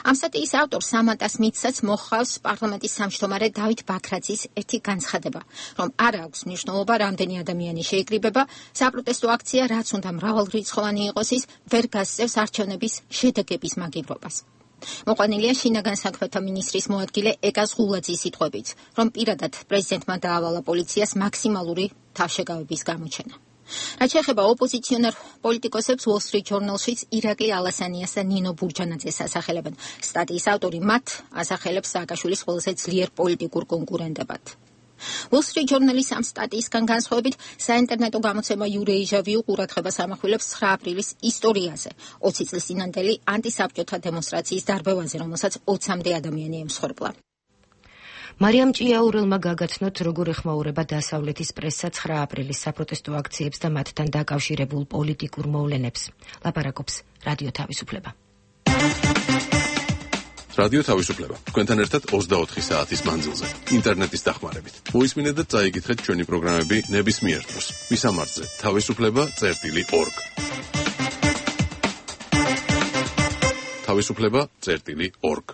ამ სტატიის ავტორ სამანტას მიცსაც მოხავს პარლამენტის სამშტომარე დავით ბაქრაძის ერთი განცხადება, რომ არ აქვს მნიშვნელობა რამდენი ადამიანი შეიკრიბება, საპროტესტო აქცია რაც უნდა მრავალრიცხოვანი იყოს ის ვერ გასწევს არჩევნების შედეგების მაგივრობას. მოყვანილია შინაგან საქმეთა მინისტრის მოადგილე ეკას ღულაძის სიტყვებით, რომ პირადად პრეზიდენტმა დაავალა პოლიციას მაქსიმალური თავშეკავების გამოჩენა. რაც შეეხება ოპოზიციონერ პოლიტიკოსებს, Wall Street Journal-შიც ირაკლი ალასანიას და ნინო ბურჯანაძეს ასახელებენ. სტატიის ავტორი მათ ასახელებს სააკაშვილის ყველაზე ძლიერ პოლიტიკურ კონკურენტებად. Wall Street Journal-ის ამ სტატიისგან განსხვავებით, საინტერნეტო გამოცემა Eurasia-View ყურადღებას ამახვილებს ცხრა აპრილის ისტორიაზე, ოცი წლის წინანდელი ანტისაბჭოთა დემონსტრაციის დარბევაზე, რომელსაც ოცამდე ადამიანი ემსხვერპლა. მარიამ ჭიაურელმა გაგაცნოთ, როგორ ეხმაურება დასავლეთის პრესა ცხრა აპრილის საპროტესტო აქციებს და მათთან დაკავშირებულ პოლიტიკურ მოვლენებს. ლაპარაკობს რადიო თავისუფლება. რადიო თავისუფლება. თქვენთან ერთად ოცდაოთხი საათის მანძილზე, ინტერნეტის დახმარებით. მოისმინეთ და წაიკითხეთ ჩვენი პროგრამები ნებისმიერ დროს. მისამართზე თავისუფლება წერტილი ორგ. თავისუფლება წერტილი ორგ.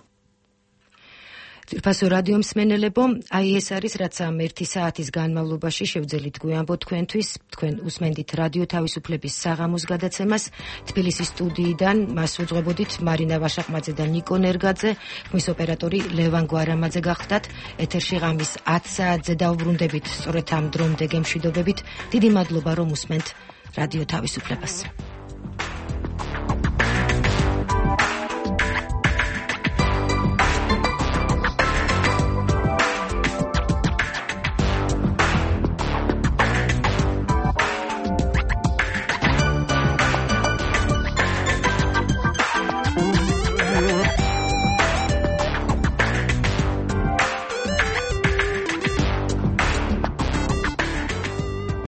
ძირფასო რადიო მსმენელებო, აი ეს არის რაც ამ ერთი საათის განმავლობაში შევძელით გვიამბოთ თქვენთვის. თქვენ უსმენდით რადიო თავისუფლების საღამოს გადაცემას. თბილისის სტუდიიდან მას უძღვებოდით მარინა ვაშაყმაძე და ნიკო ნერგაძე, ხმის ოპერატორი ლევან გვარამაძე გახდათ. ეთერში ღამის ათ საათზე დავბრუნდებით სწორედ ამ დრომდე გემშვიდობებით. დიდი მადლობა რომ უსმენთ რადიო თავისუფლებას.